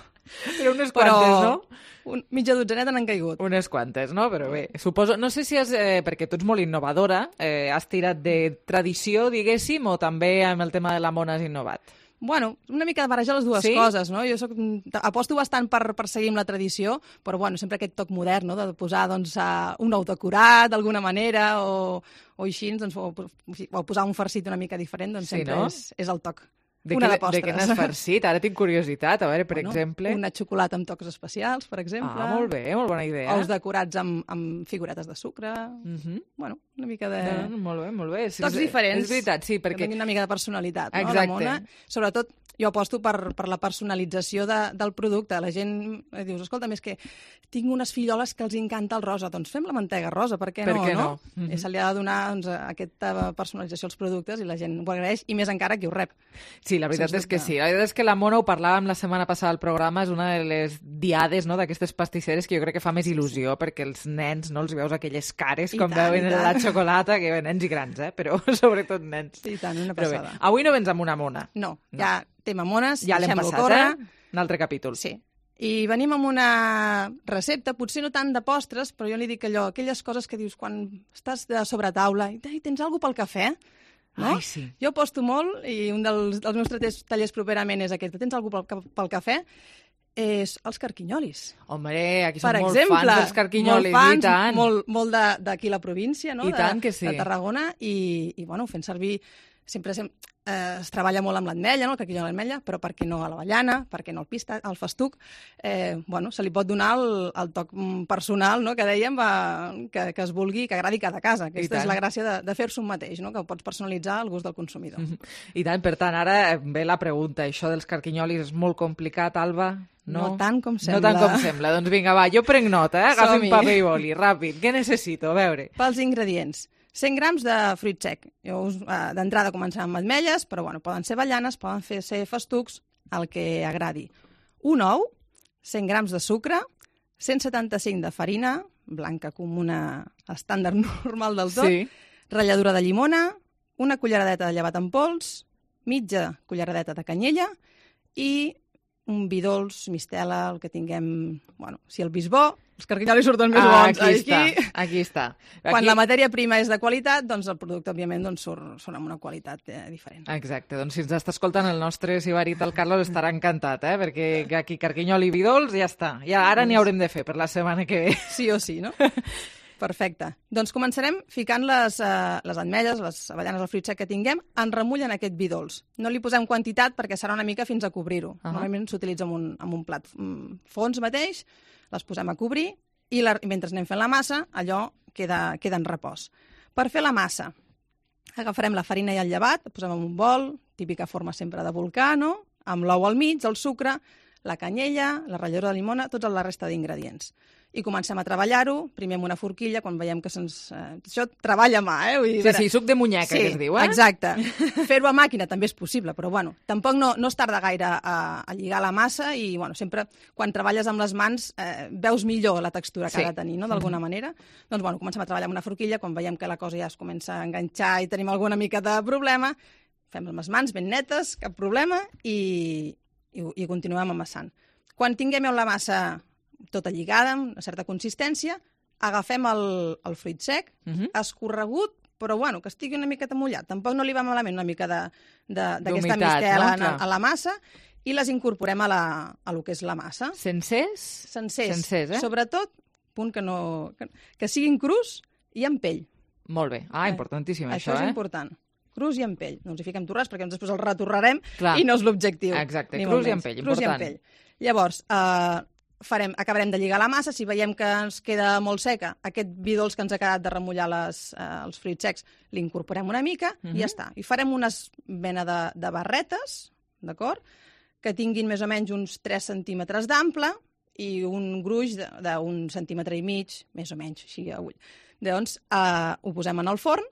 Però unes quantes, no? Mitja dotzeneta n'han caigut. Unes quantes, no? Però bé, suposo... No sé si has... perquè tu ets molt innovadora, has tirat de tradició, diguéssim, o també amb el tema de la mona has innovat? Bueno, una mica de barrejar les dues coses, no? Jo aposto bastant per seguir amb la tradició, però bueno, sempre aquest toc modern, no? De posar doncs, un ou decorat d'alguna manera o així, doncs, o posar un farcit una mica diferent, doncs sempre és el toc. De què n'has farcit? Ara tinc curiositat. A veure, per exemple... Una xocolata amb tocs especials, per exemple. Ah, molt bé, molt bona idea. Ous decorats amb figuretes de sucre. Bueno, una mica de... Molt bé, molt bé. Tocs diferents. És veritat, sí, perquè... Que tinguin una mica de personalitat, no? Exacte. La mona. Sobretot, jo aposto per la personalització del producte. La gent dius, escolta, és que tinc unes filloles que els encanta el rosa. Doncs fem la mantega rosa, per què no? Se li ha de donar aquesta personalització als productes i la gent ho agraeix, i més encara qui ho rep. Sí, la veritat és que sí. La veritat és que la mona, ho parlàvem la setmana passada al programa, és una de les diades, no?, d'aquestes pastisseres que jo crec que fa més il·lusió, perquè els nens, no, els veus aquelles cares com veuen la xocolata, que nens i grans, però sobretot nens. I tant, una passada. Avui no vens amb una mona. No, ja tema mones, ja l'hem passat, un altre capítol. Sí. I venim amb una recepta, potser no tant de postres, però jo li dic allò, aquelles coses que dius quan estàs de sobretaula i tens alguna pel cafè, no? Ai, sí. Jo aposto molt, i un dels meus tallers properament és aquest. Tens alguna pel cafè? És els carquinyolis. Home, aquí som molt fans dels carquinyolis, i tant. Molt d'aquí la província, no? I tant que sí. De Tarragona, i bueno, fent servir... Sempre es treballa molt amb l'ametlla, no? El carquinyol a l'ametlla, però per què no a l'avellana, per què no al festuc? Bueno, se li pot donar el toc personal, no?, que dèiem, que es vulgui, que agradi cada casa. Aquesta és la gràcia de fer-se un mateix, no?, que ho pots personalitzar al gust del consumidor. I tant, per tant, ara ve la pregunta. Això dels carquinyolis és molt complicat, Alba? No tant com sembla. No tant com sembla. Doncs vinga, va, jo prenc nota, agafi un paper i boli, ràpid. Què necessito? A veure. Pels ingredients. 100 grams de fruit sec. D'entrada començarem amb ametlles, però bueno, poden ser avellanes, poden ser festucs, el que agradi. un ou, 100 grams de sucre, 175 de farina, blanca comuna estàndard normal del tot, ratlladura de llimona, una culleradeta de llevat en pols, mitja culleradeta de canyella i un vi dolç, mistela, el que tinguem... Bueno, si el vi és bo, els carquinyolis surten més bons. Aquí està. Quan la matèria prima és de qualitat, doncs el producte, òbviament, surt amb una qualitat diferent. Exacte. Doncs si ens està escoltant el nostre sibarit, el Carlos, estarà encantat, perquè aquí carquinyol i vi dolç ja està. Ja ara n'hi haurem de fer per la setmana que ve. Sí o sí, no? Perfecte. Doncs començarem ficant les ametlles, les avellanes, el fruit sec que tinguem, en remull en aquest vi dolç. No li posem quantitat perquè serà una mica fins a cobrir-ho. Normalment s'utilitza en un plat fons mateix, les posem a cobrir i mentre anem fent la massa, allò queda en repòs. Per fer la massa, agafarem la farina i el llevat, posem en un bol, típica forma sempre de volcà, no? Amb l'ou al mig, el sucre, la canyella, la ratlladura de llimona, tota la resta d'ingredients. I comencem a treballar-ho, primer amb una forquilla, quan veiem que se'ns... Això treballa a mà, Vull dir, sí, suc de munyeca, que es diu, Exacte. Fer-ho a màquina també és possible, però bueno, tampoc no es tarda gaire a lligar la massa i bueno, sempre quan treballes amb les mans veus millor la textura que ha de tenir, no? D'alguna manera. Doncs bueno, comencem a treballar amb una forquilla, quan veiem que la cosa ja es comença a enganxar i tenim alguna mica de problema, fem amb les mans ben netes, cap problema, i continuem amassant. Quan tinguem la massa tota lligada, amb una certa consistència, agafem el fruit sec, escorregut, però bueno, que estigui una miqueta mullat. Tampoc no li va malament una mica d'aquesta mistela a la massa i les incorporem a lo que és la massa. Sencers? Sencers, Sobretot, punt que siguin crus i amb pell. Molt bé. Importantíssim, això, Això és important. Crus i amb pell. No ens hi fiquem torrats perquè després el retorrarem i no és l'objectiu. Exacte, crus i amb pell, important. Llavors, acabarem de lligar la massa, si veiem que ens queda molt seca, aquest vi dolç que ens ha quedat de remullar els fruits secs, l'incorporem una mica i ja està. I farem una mena de barretes, d'acord? Que tinguin més o menys uns 3 centímetres d'ample i un gruix d'un centímetre i mig, més o menys, així a ull. Doncs ho posem en el forn,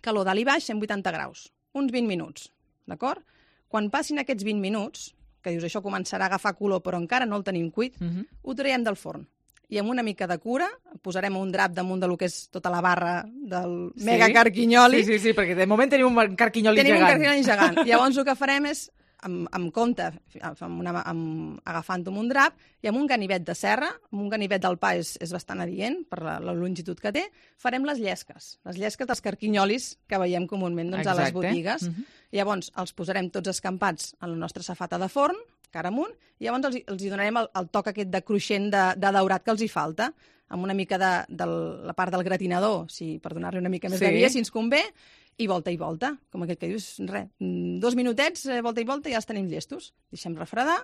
calor dalt i baix, 180 graus, uns 20 minuts, d'acord? Quan passin aquests 20 minuts, que dius això començarà a agafar color però encara no el tenim cuit, ho traiem del forn. I amb una mica de cura posarem un drap damunt de lo que és tota la barra del mega carquinyoli. Sí, perquè de moment tenim un carquinyoli gegant. Tenim un carquinyoli gegant. Llavors el que farem és, amb compte, agafant-ho amb un drap i amb un ganivet de serra, amb un ganivet del pa és bastant adient per la longitud que té, farem les llesques dels carquinyolis que veiem comúment a les botigues. Llavors els posarem tots escampats en la nostra safata de forn, cara amunt, i llavors els hi donarem el toc aquest de cruixent de daurat que els hi falta, amb una mica de la part del gratinador, per donar-li una mica més de via, si ens convé, i volta, com aquest que dius, 2 minutets, volta i volta, i ja els tenim llestos. Deixem refredar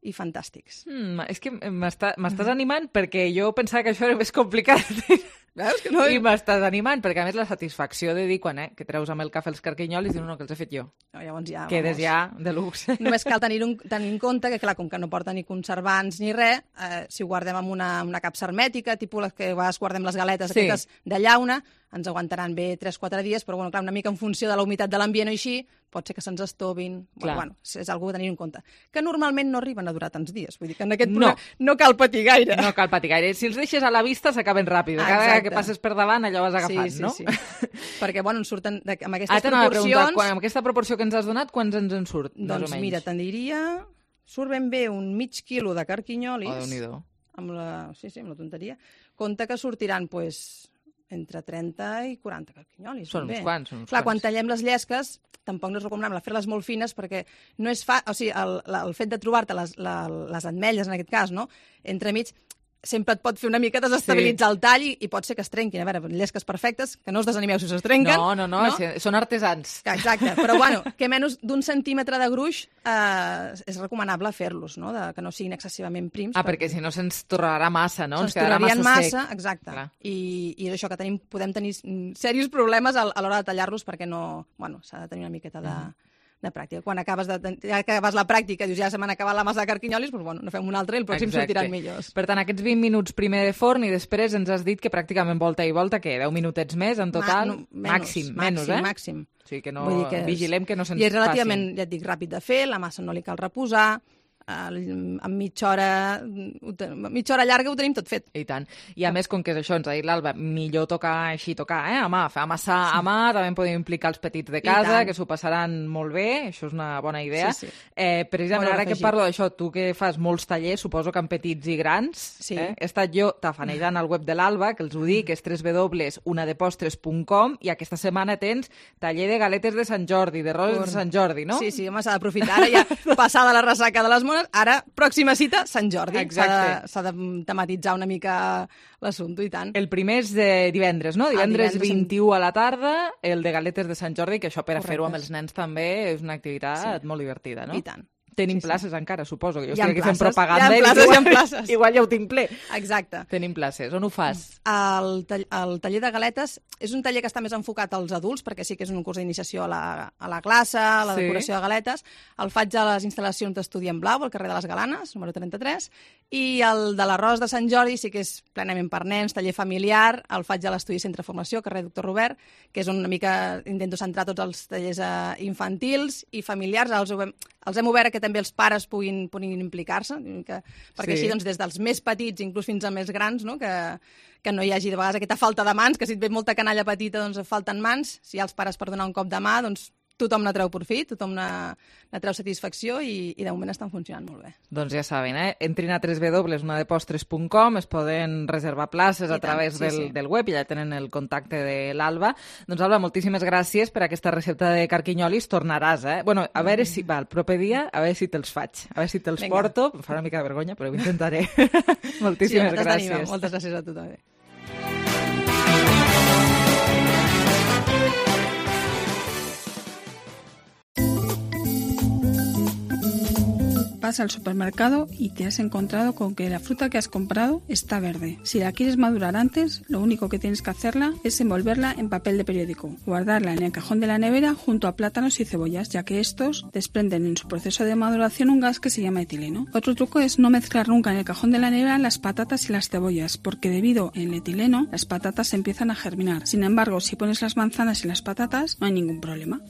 i fantàstics. És que m'estàs animant perquè jo pensava que això era més complicat. Veus que no? I m'estàs animant, perquè a més la satisfacció de dir quan que treus amb el cafè els carquinyolis i dius, no, que els he fet jo. Llavors ja, quedes ja de luxe. Només cal tenir en compte que, clar, com que no porta ni conservants ni res, si ho guardem amb una capsa hermètica, tipus les que a vegades guardem les galetes aquestes de llauna, ens aguantaran bé 3-4 dies, però bueno, clar, una mica en funció de la humitat de l'ambient o així, pot ser que se'ns estovin. Bueno, és algú a tenir en compte. Que normalment no arriben a durar tants dies. Vull dir que en aquest punt no cal patir gaire. No cal patir gaire. Si els deixes a la vista s'acaben ràpid. Cada vegada que passes per davant allò vas agafant, no? Sí. Perquè, bueno, ens surten amb aquestes proporcions... Amb aquesta proporció que ens has donat, quants ens en surt, més o menys? Doncs mira, te'n diria... Surt ben bé un mig quilo de carquinyolis. Déu-n'hi-do. Amb la tonteria. Compte que sortiran, entre 30 i 40 carquinyolis. Són uns quants. Clar, quan tallem les llesques, tampoc no és recomanable fer-les molt fines perquè no és el fet de trobar-te les ametlles, en aquest cas, no? Entremig, sempre et pot fer una mica desestabilitzar el tall i pot ser que es trenquin. A veure, llesques perfectes, que no us desanimeu si es trenquen. No, són artesans. Exacte, però bueno, que menys d'un centímetre de gruix és recomanable fer-los, no? Que no siguin excessivament prims. Perquè si no se'ns torrarà massa, no? Se'ns torrarien massa, exacte. I és això, que podem tenir serios problemes a l'hora de tallar-los perquè s'ha de tenir una miqueta de pràctica. Quan acabes la pràctica, dius, ja se m'han acabat la massa de carquinyolis, doncs no fem un altre i el pròxim sortiran millors. Per tant, aquests 20 minuts primer de forn i després ens has dit que pràcticament volta i volta, que 10 minutets més en total? Màxim. O sigui que vigilem que no se'ns passi. I és relativament, ja et dic, ràpid de fer, la massa no li cal reposar, en mitja hora llarga ho tenim tot fet. I tant. I a més, com que és això, ens ha dit l'Alba, millor tocar així, a mà, fer amassar a mà, també podem implicar els petits de casa, que s'ho passaran molt bé, això és una bona idea. Sí. Precisament, ara que parlo d'això, tu que fas molts tallers, suposo que en petits i grans, he estat jo tafanejant al web de l'Alba, que els ho dic, és www.unadepostres.com, i aquesta setmana tens taller de galetes de Sant Jordi, de roses de Sant Jordi, no? Sí, home, s'ha d'aprofitar. Ara ja passada la ressaca de les mones, ara, pròxima cita, Sant Jordi. Exacte. S'ha de tematitzar una mica l'assumpte, i tant. El primer és de divendres, no? Divendres 21 a la tarda, el de galetes de Sant Jordi, que això per a fer-ho amb els nens també és una activitat molt divertida, no? I tant. Tenim places encara, suposo, que jo Hi ha estic aquí fent places, propaganda. hi ha places. Igual ja ho tinc ple. Exacte. Tenim places. On ho fas? El taller de galetes és un taller que està més enfocat als adults, perquè sí que és un curs d'iniciació a la classe, a la decoració de galetes. El faig a les instal·lacions d'Estudi en Blau, al carrer de les Galanes, número 33, i el de l'arròs de Sant Jordi sí que és plenament per nens, taller familiar, el faig a l'Estudi Centre de Formació, carrer Doctor Robert, que és una mica, intento centrar tots els tallers infantils i familiars. Els hem obert que també els pares puguin implicar-se, perquè així doncs, des dels més petits inclús fins a més grans, no? Que no hi hagi de vegades aquesta falta de mans, que si et ve molta canalla petita doncs falten mans, si hi ha els pares per donar un cop de mà, doncs tothom ne treu profit, tothom ne treu satisfacció i de moment estan funcionant molt bé. Doncs ja saben, entrin a www.unadepostres.com, es poden reservar places a través del web i ja tenen el contacte de l'Alba. Doncs Alba, moltíssimes gràcies per aquesta recepta de carquinyolis, tornaràs, Bueno, a veure si, el proper dia, a veure si te'ls faig, a veure si te'ls porto, em fa una mica de vergonya, però ho intentaré. Moltíssimes gràcies. Moltes gràcies a tu també. Vas al supermercado y te has encontrado con que la fruta que has comprado está verde. Si la quieres madurar antes, lo único que tienes que hacerla es envolverla en papel de periódico, guardarla en el cajón de la nevera junto a plátanos y cebollas, ya que estos desprenden en su proceso de maduración un gas que se llama etileno. Otro truco es no mezclar nunca en el cajón de la nevera las patatas y las cebollas, porque debido al etileno, las patatas empiezan a germinar. Sin embargo, si pones las manzanas y las patatas, no hay ningún problema.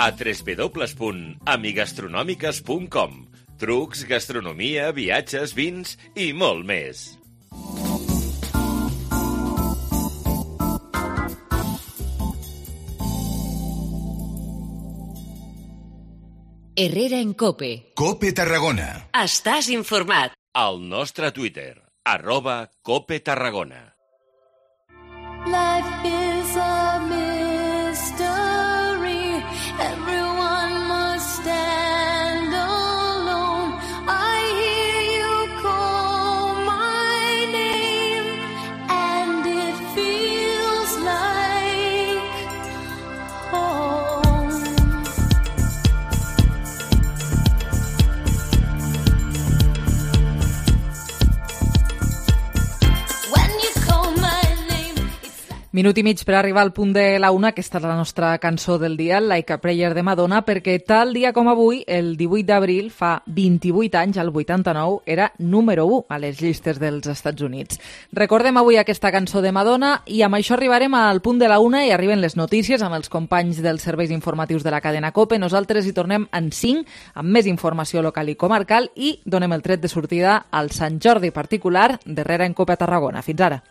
A www.amigastronòmiques.com. Trucs, gastronomia, viatges, vins i molt més. Herrera en COPE. COPE Tarragona. Estàs informat. Al nostre Twitter, @COPETarragona. Life is a mystery. Everyone must stand alone. I hear you call my name, and it feels like home. When you call my name. Minut i mig per arribar al punt de la una, aquesta és la nostra cançó del dia, Like a Prayer de Madonna, perquè tal dia com avui, el 18 d'abril, fa 28 anys, el 89, era número 1 a les llistes dels Estats Units. Recordem avui aquesta cançó de Madonna i amb això arribarem al punt de la una i arriben les notícies amb els companys dels serveis informatius de la cadena COPE. Nosaltres hi tornem en 5 amb més informació local i comarcal i donem el tret de sortida al Sant Jordi particular d'Herrera en COPE a Tarragona. Fins ara.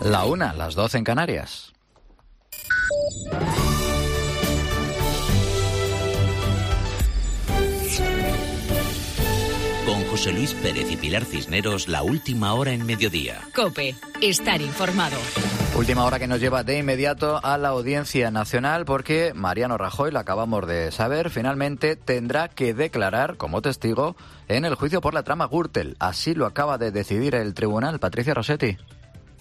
La una, las 12 en Canarias. José Luis Pérez y Pilar Cisneros, la última hora en Mediodía. COPE. Estar informado. Última hora que nos lleva de inmediato a la Audiencia Nacional porque Mariano Rajoy, lo acabamos de saber, finalmente tendrá que declarar como testigo en el juicio por la trama Gürtel. Así lo acaba de decidir el tribunal. Patricia Rossetti.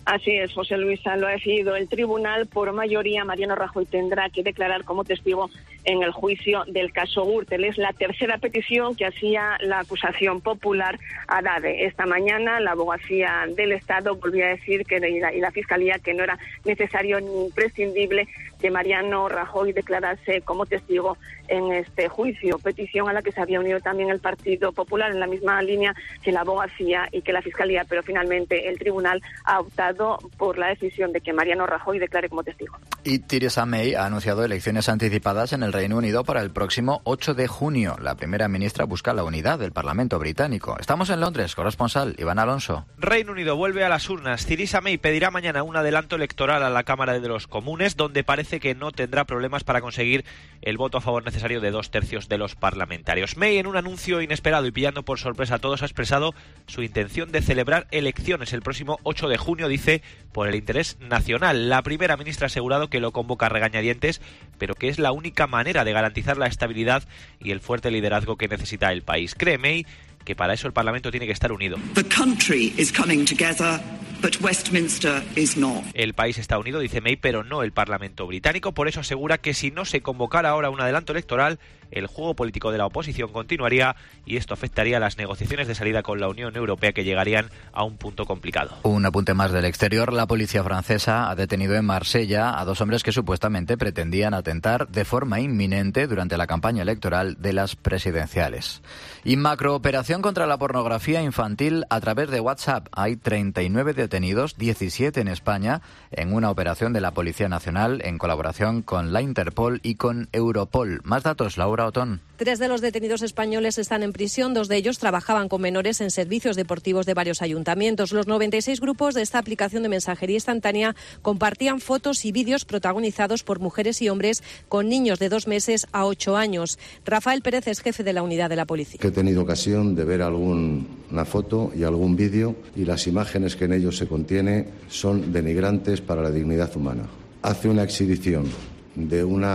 Así es, José Luis, lo ha decidido el tribunal. Por mayoría, Mariano Rajoy tendrá que declarar como testigo en el juicio del caso Gürtel. Es la tercera petición que hacía la acusación popular a DADE. Esta mañana la abogacía del Estado volvía a decir y la Fiscalía que no era necesario ni imprescindible que Mariano Rajoy declarase como testigo en este juicio. Petición a la que se había unido también el Partido Popular en la misma línea que la abogacía y que la Fiscalía, pero finalmente el tribunal ha optado por la decisión de que Mariano Rajoy declare como testigo. Y Theresa May ha anunciado elecciones anticipadas en el Reino Unido para el próximo 8 de junio. La primera ministra busca la unidad del Parlamento británico. Estamos en Londres, corresponsal Iván Alonso. Reino Unido vuelve a las urnas. Theresa May pedirá mañana un adelanto electoral a la Cámara de los Comunes, donde parece que no tendrá problemas para conseguir el voto a favor necesario de 2/3 de los parlamentarios. May, en un anuncio inesperado y pillando por sorpresa a todos, ha expresado su intención de celebrar elecciones el próximo 8 de junio, dice, por el interés nacional. La primera ministra ha asegurado que lo convoca a regañadientes, pero que es la única manera de garantizar la estabilidad y el fuerte liderazgo que necesita el país. Cree May que para eso el Parlamento tiene que estar unido. El país está unido, dice May, pero no el Parlamento británico. Por eso asegura que si no se convocara ahora un adelanto electoral, el juego político de la oposición continuaría y esto afectaría a las negociaciones de salida con la Unión Europea, que llegarían a un punto complicado. Un apunte más del exterior. La policía francesa ha detenido en Marsella a 2 hombres que supuestamente pretendían atentar de forma inminente durante la campaña electoral de las presidenciales. Y macrooperación contra la pornografía infantil a través de WhatsApp. Hay 39 detenidos, 17 en España, en una operación de la Policía Nacional en colaboración con la Interpol y con Europol. Más datos, Laura Otón. 3 de los detenidos españoles están en prisión. 2 de ellos trabajaban con menores en servicios deportivos de varios ayuntamientos. Los 96 grupos de esta aplicación de mensajería instantánea compartían fotos y vídeos protagonizados por mujeres y hombres con niños de 2 meses a 8 años. Rafael Pérez es jefe de la unidad de la policía. He tenido ocasión de ver alguna foto y algún vídeo y las imágenes que en ellos se contiene son denigrantes para la dignidad humana. Hace una exhibición de un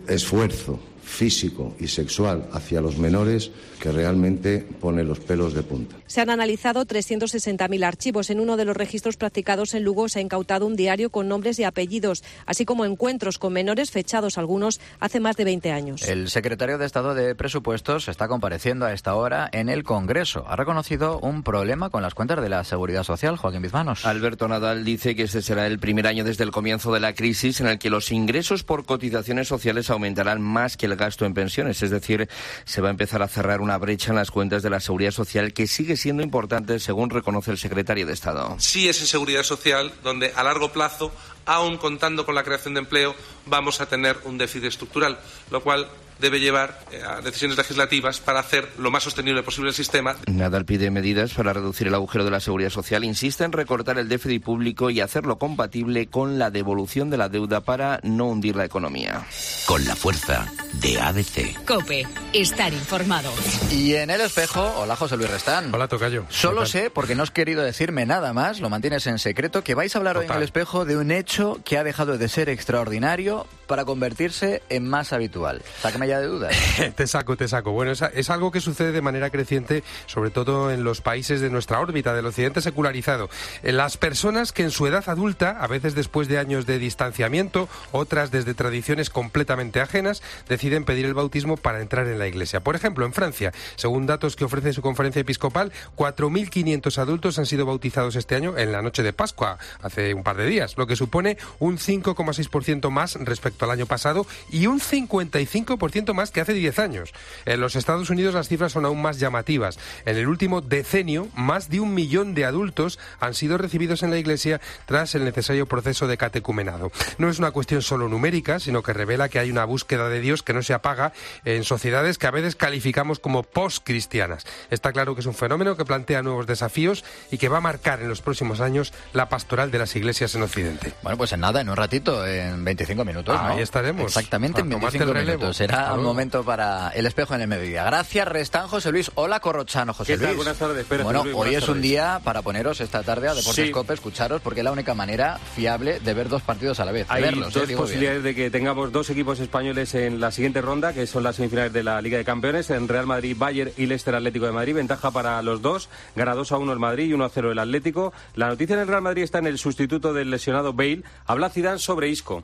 esfuerzo físico y sexual hacia los menores que realmente pone los pelos de punta. Se han analizado 360.000 archivos. En uno de los registros practicados en Lugo se ha incautado un diario con nombres y apellidos, así como encuentros con menores fechados algunos hace más de 20 años. El secretario de Estado de Presupuestos está compareciendo a esta hora en el Congreso. Ha reconocido un problema con las cuentas de la Seguridad Social. Joaquín Bizmanos. Alberto Nadal dice que este será el primer año desde el comienzo de la crisis en el que los ingresos por cotizaciones sociales aumentarán más que el gasto en pensiones. Es decir, se va a empezar a cerrar una brecha en las cuentas de la Seguridad Social que sigue siendo importante, según reconoce el secretario de Estado. Sí es en Seguridad Social donde a largo plazo, aún contando con la creación de empleo, vamos a tener un déficit estructural, lo cual debe llevar a decisiones legislativas para hacer lo más sostenible posible el sistema. Nadal pide medidas para reducir el agujero de la Seguridad Social, insiste en recortar el déficit público y hacerlo compatible con la devolución de la deuda para no hundir la economía. Con la fuerza de ABC. COPE. Estar informado. Y en el espejo, hola José Luis Restán. Hola tocayo. Solo sé, porque no has querido decirme nada más, lo mantienes en secreto, que vais a hablar hoy en el espejo de un hecho que ha dejado de ser extraordinario para convertirse en más habitual. Sácame ya de dudas. Te saco. Bueno, es algo que sucede de manera creciente, sobre todo en los países de nuestra órbita, del occidente secularizado. Las personas que en su edad adulta, a veces después de años de distanciamiento, otras desde tradiciones completamente ajenas, deciden pedir el bautismo para entrar en la iglesia. Por ejemplo, en Francia, según datos que ofrece su conferencia episcopal, 4.500 adultos han sido bautizados este año en la noche de Pascua, hace un par de días, lo que supone un 5,6% más respecto al año pasado y un 55% más que hace 10 años. En los Estados Unidos las cifras son aún más llamativas. En el último decenio, más de 1 millón de adultos han sido recibidos en la iglesia tras el necesario proceso de catecumenado. No es una cuestión solo numérica, sino que revela que hay una búsqueda de Dios que no se apaga en sociedades que a veces calificamos como post-cristianas. Está claro que es un fenómeno que plantea nuevos desafíos y que va a marcar en los próximos años la pastoral de las iglesias en Occidente. Bueno, pues en nada, en un ratito, en 25 minutos. ¿no? Ahí estaremos. Exactamente, en 25 minutos. Será un momento para el espejo en el mediodía. Gracias, Restán, José Luis. Hola, Corrochano, José Luis. Buenas tardes. Bueno, hoy es un día para poneros esta tarde a Deportes Cope, escucharos, porque es la única manera fiable de ver dos partidos a la vez. Hay dos posibilidades de que tengamos dos equipos españoles en la siguiente ronda, que son las semifinales de la Liga de Campeones, en Real Madrid, Bayern y Leicester Atlético de Madrid. Ventaja para los dos, gana 2-1 el Madrid y 1-0 el Atlético. La noticia en el Real Madrid está en el sustituto del lesionado Bale. Habla Zidane sobre Isco.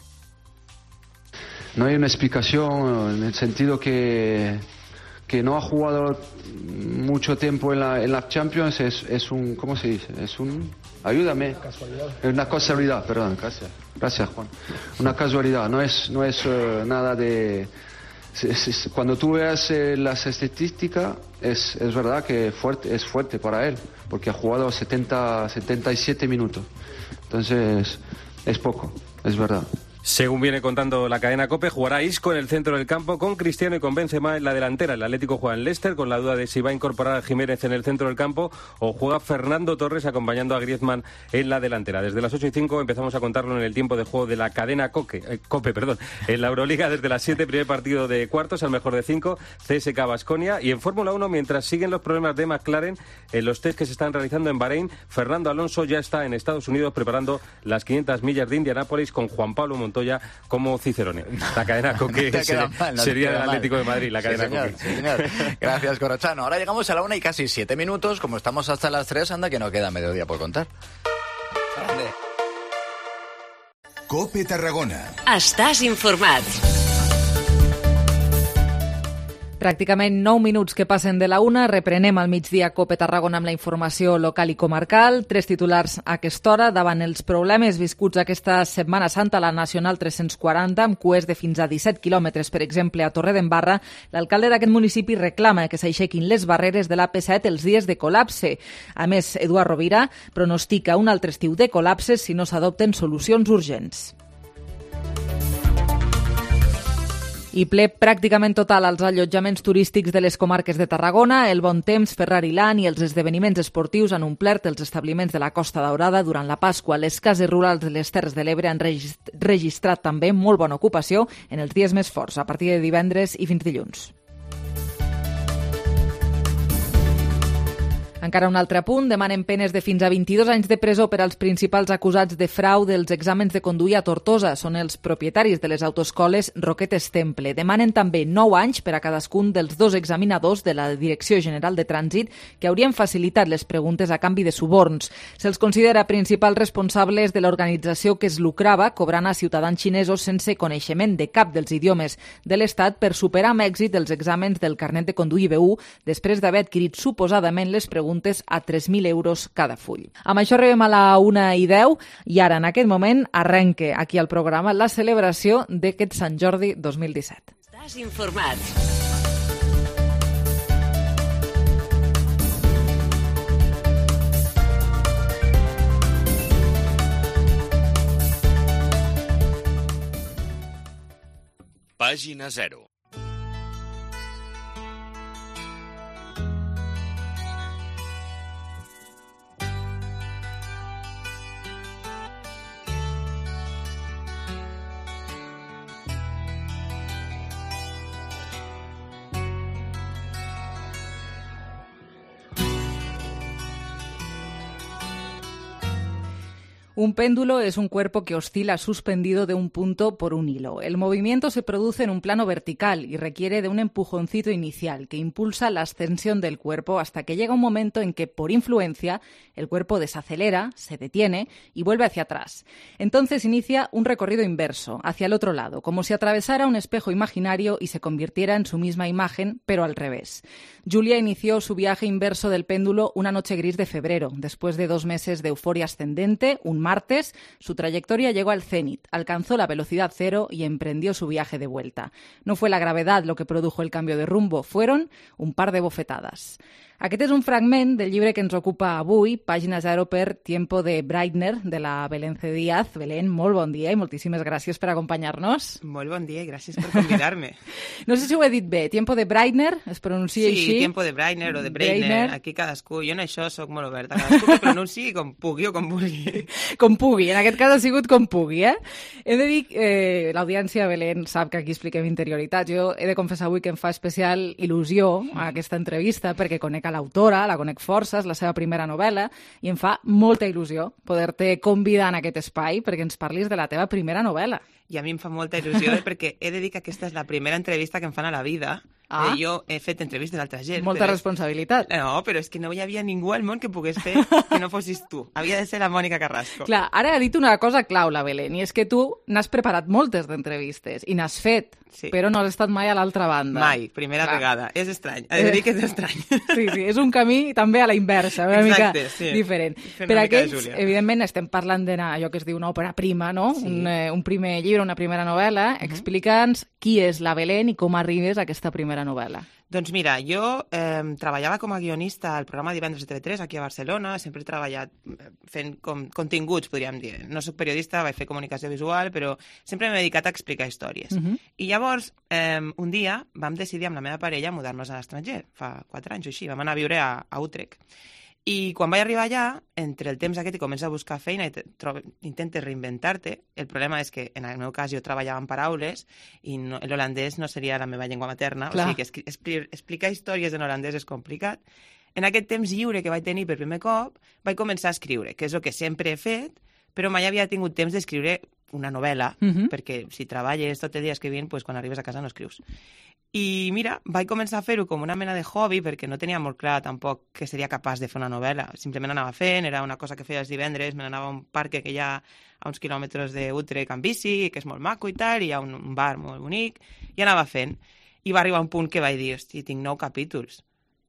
No hay una explicación en el sentido que no ha jugado mucho tiempo en la Champions. Es un, ¿cómo se dice? Es un, ayúdame. Es una casualidad, perdón. Gracias, Juan. Una casualidad, no es nada de... Cuando tú veas las estadísticas, es verdad que es fuerte para él, porque ha jugado 77 minutos. Entonces, es poco, es verdad. Según viene contando la cadena COPE, jugará Isco en el centro del campo con Cristiano y con Benzema en la delantera. El Atlético juega en Leicester con la duda de si va a incorporar a Jiménez en el centro del campo o juega Fernando Torres acompañando a Griezmann en la delantera. Desde las 8:05 empezamos a contarlo en el tiempo de juego de la cadena COPE. En la Euroliga desde las 7, primer partido de cuartos al mejor de 5, CSKA Baskonia. Y en Fórmula 1, mientras siguen los problemas de McLaren en los test que se están realizando en Bahrein, Fernando Alonso ya está en Estados Unidos preparando las 500 millas de Indianápolis con Juan Pablo Montoya como Cicerone. La cadena Coque sería el Atlético de Madrid, la cadena Coque. Sí, señor. Gracias, Corrochano. Ahora llegamos a la 1:07. Como estamos hasta las 3, anda que no queda mediodía por contar. Grande. Cope Tarragona. Estàs informat. Pràcticament 9 minuts que passen de la 1. Reprenem al migdia Cope Tarragona amb la informació local i comarcal. 3 titulars a aquesta hora. Davant els problemes viscuts aquesta Setmana Santa a la Nacional 340, amb cues de fins a 17 quilòmetres, per exemple, a Torredembarra, l'alcalde d'aquest municipi reclama que s'aixequin les barreres de l'AP7 els dies de col·lapse. A més, Eduard Rovira pronostica un altre estiu de col·lapses si no s'adopten solucions urgents. I ple pràcticament total als allotjaments turístics de les comarques de Tarragona. El bon temps, Ferrari Land i els esdeveniments esportius han omplert els establiments de la Costa Daurada durant la Pasqua. Les cases rurals de les Terres de l'Ebre han registrat també molt bona ocupació en els dies més forts, a partir de divendres i fins dilluns. Encara un altre punt, demanen penes de fins a 22 anys de presó per als principals acusats de frau dels exàmens de conduir a Tortosa. Són els propietaris de les autoescoles Roquetes Temple. Demanen també 9 anys per a cadascun dels 2 examinadors de la Direcció General de Trànsit que haurien facilitat les preguntes a canvi de suborns. Se'ls considera principals responsables de l'organització que es lucrava cobrant a ciutadans xinesos sense coneixement de cap dels idiomes de l'Estat per superar amb èxit els exàmens del carnet de conduir B1 després d'haver adquirit suposadament les preguntes a 3.000 euros cada full. Amb això arribem a la 1:10 i ara, en aquest moment, arrenca aquí al programa la celebració d'aquest Sant Jordi 2017. Estàs informat. Pàgina 0. Un péndulo es un cuerpo que oscila suspendido de un punto por un hilo. El movimiento se produce en un plano vertical y requiere de un empujoncito inicial que impulsa la ascensión del cuerpo hasta que llega un momento en que, por influencia, el cuerpo desacelera, se detiene y vuelve hacia atrás. Entonces inicia un recorrido inverso, hacia el otro lado, como si atravesara un espejo imaginario y se convirtiera en su misma imagen, pero al revés. Julia inició su viaje inverso del péndulo una noche gris de febrero, después de 2 meses de euforia ascendente. Un martes, su trayectoria llegó al cenit, alcanzó la velocidad cero y emprendió su viaje de vuelta. No fue la gravedad lo que produjo el cambio de rumbo, fueron un par de bofetadas. Aquest és un fragment del llibre que ens ocupa avui, pàgina 0 per Tiempo de Breitner, de la Belén C. Díaz. Belén, molt bon dia i moltíssimes gràcies per acompanyar-nos. Molt bon dia i gràcies per convidar-me. No sé si ho he dit bé. Tiempo de Breitner, es pronuncia així? Sí, Tiempo de Breitner o de Breitner. Aquí cadascú. Jo en això sóc molt oberta. Cadascú que pronunciï com pugui o com vulgui. Com pugui. En aquest cas ha sigut com pugui, eh? He de dir, l'audiència, Belén, sap que aquí expliquem interioritats. Jo he de confessar avui que em fa especial il·lusió a aquesta entrevista perquè conec a l'autora, la conec força, és la seva primera novel·la, i em fa molta il·lusió poder-te convidar en aquest espai perquè ens parlis de la teva primera novel·la. I a mi em fa molta il·lusió perquè he de dir que aquesta és la primera entrevista que em fan a la vida. Jo he fet entrevistes d'altra gent. Molta responsabilitat. No, però és que no hi havia ningú al món que pogués fer que no fossis tu. Havia de ser la Mònica Carrasco. Clar, ara ha dit una cosa clau, la Belén, i és que tu n'has preparat moltes d'entrevistes i n'has fet, però no has estat mai a l'altra banda. Mai, primera vegada. És estrany. He de dir que és estrany. Sí, és un camí també a la inversa, una mica diferent. Per aquells, evidentment, estem parlant d'allò que es diu una òpera prima, no? Un primer llibre, una primera novel·la. Explica'ns qui és la Belén i com arribes a aquesta primera novel·la. Doncs mira, jo treballava com a guionista al programa Divendres de TV3 aquí a Barcelona, sempre he treballat fent continguts, podríem dir. No soc periodista, vaig fer comunicació visual, però sempre m'he dedicat a explicar històries. I llavors, un dia, vam decidir amb la meva parella mudar-nos a l'estranger, fa 4 anys o així, vam anar a viure a Utrecht. I quan vaig arribar allà, entre el temps aquest i comença a buscar feina i intentes reinventar-te, el problema és que en el meu cas jo treballava en paraules i l'holandès no seria la meva llengua materna, o sigui que explicar històries en holandès és complicat. En aquest temps lliure que vaig tenir per primer cop, vaig començar a escriure, que és el que sempre he fet, però mai havia tingut temps d'escriure una novel·la, perquè si treballes tot el dia escrivint, quan arribes a casa no escrius. I mira, vaig començar a fer-ho com una mena de hobby perquè no tenia molt clar tampoc que seria capaç de fer una novel·la. Simplement anava fent, era una cosa que feia els divendres, me n'anava a un parc que hi ha a uns quilòmetres d'Utrecht amb bici, que és molt maco i tal, i hi ha un bar molt bonic, i anava fent. I va arribar un punt que vaig dir, hosti, tinc 9 capítols.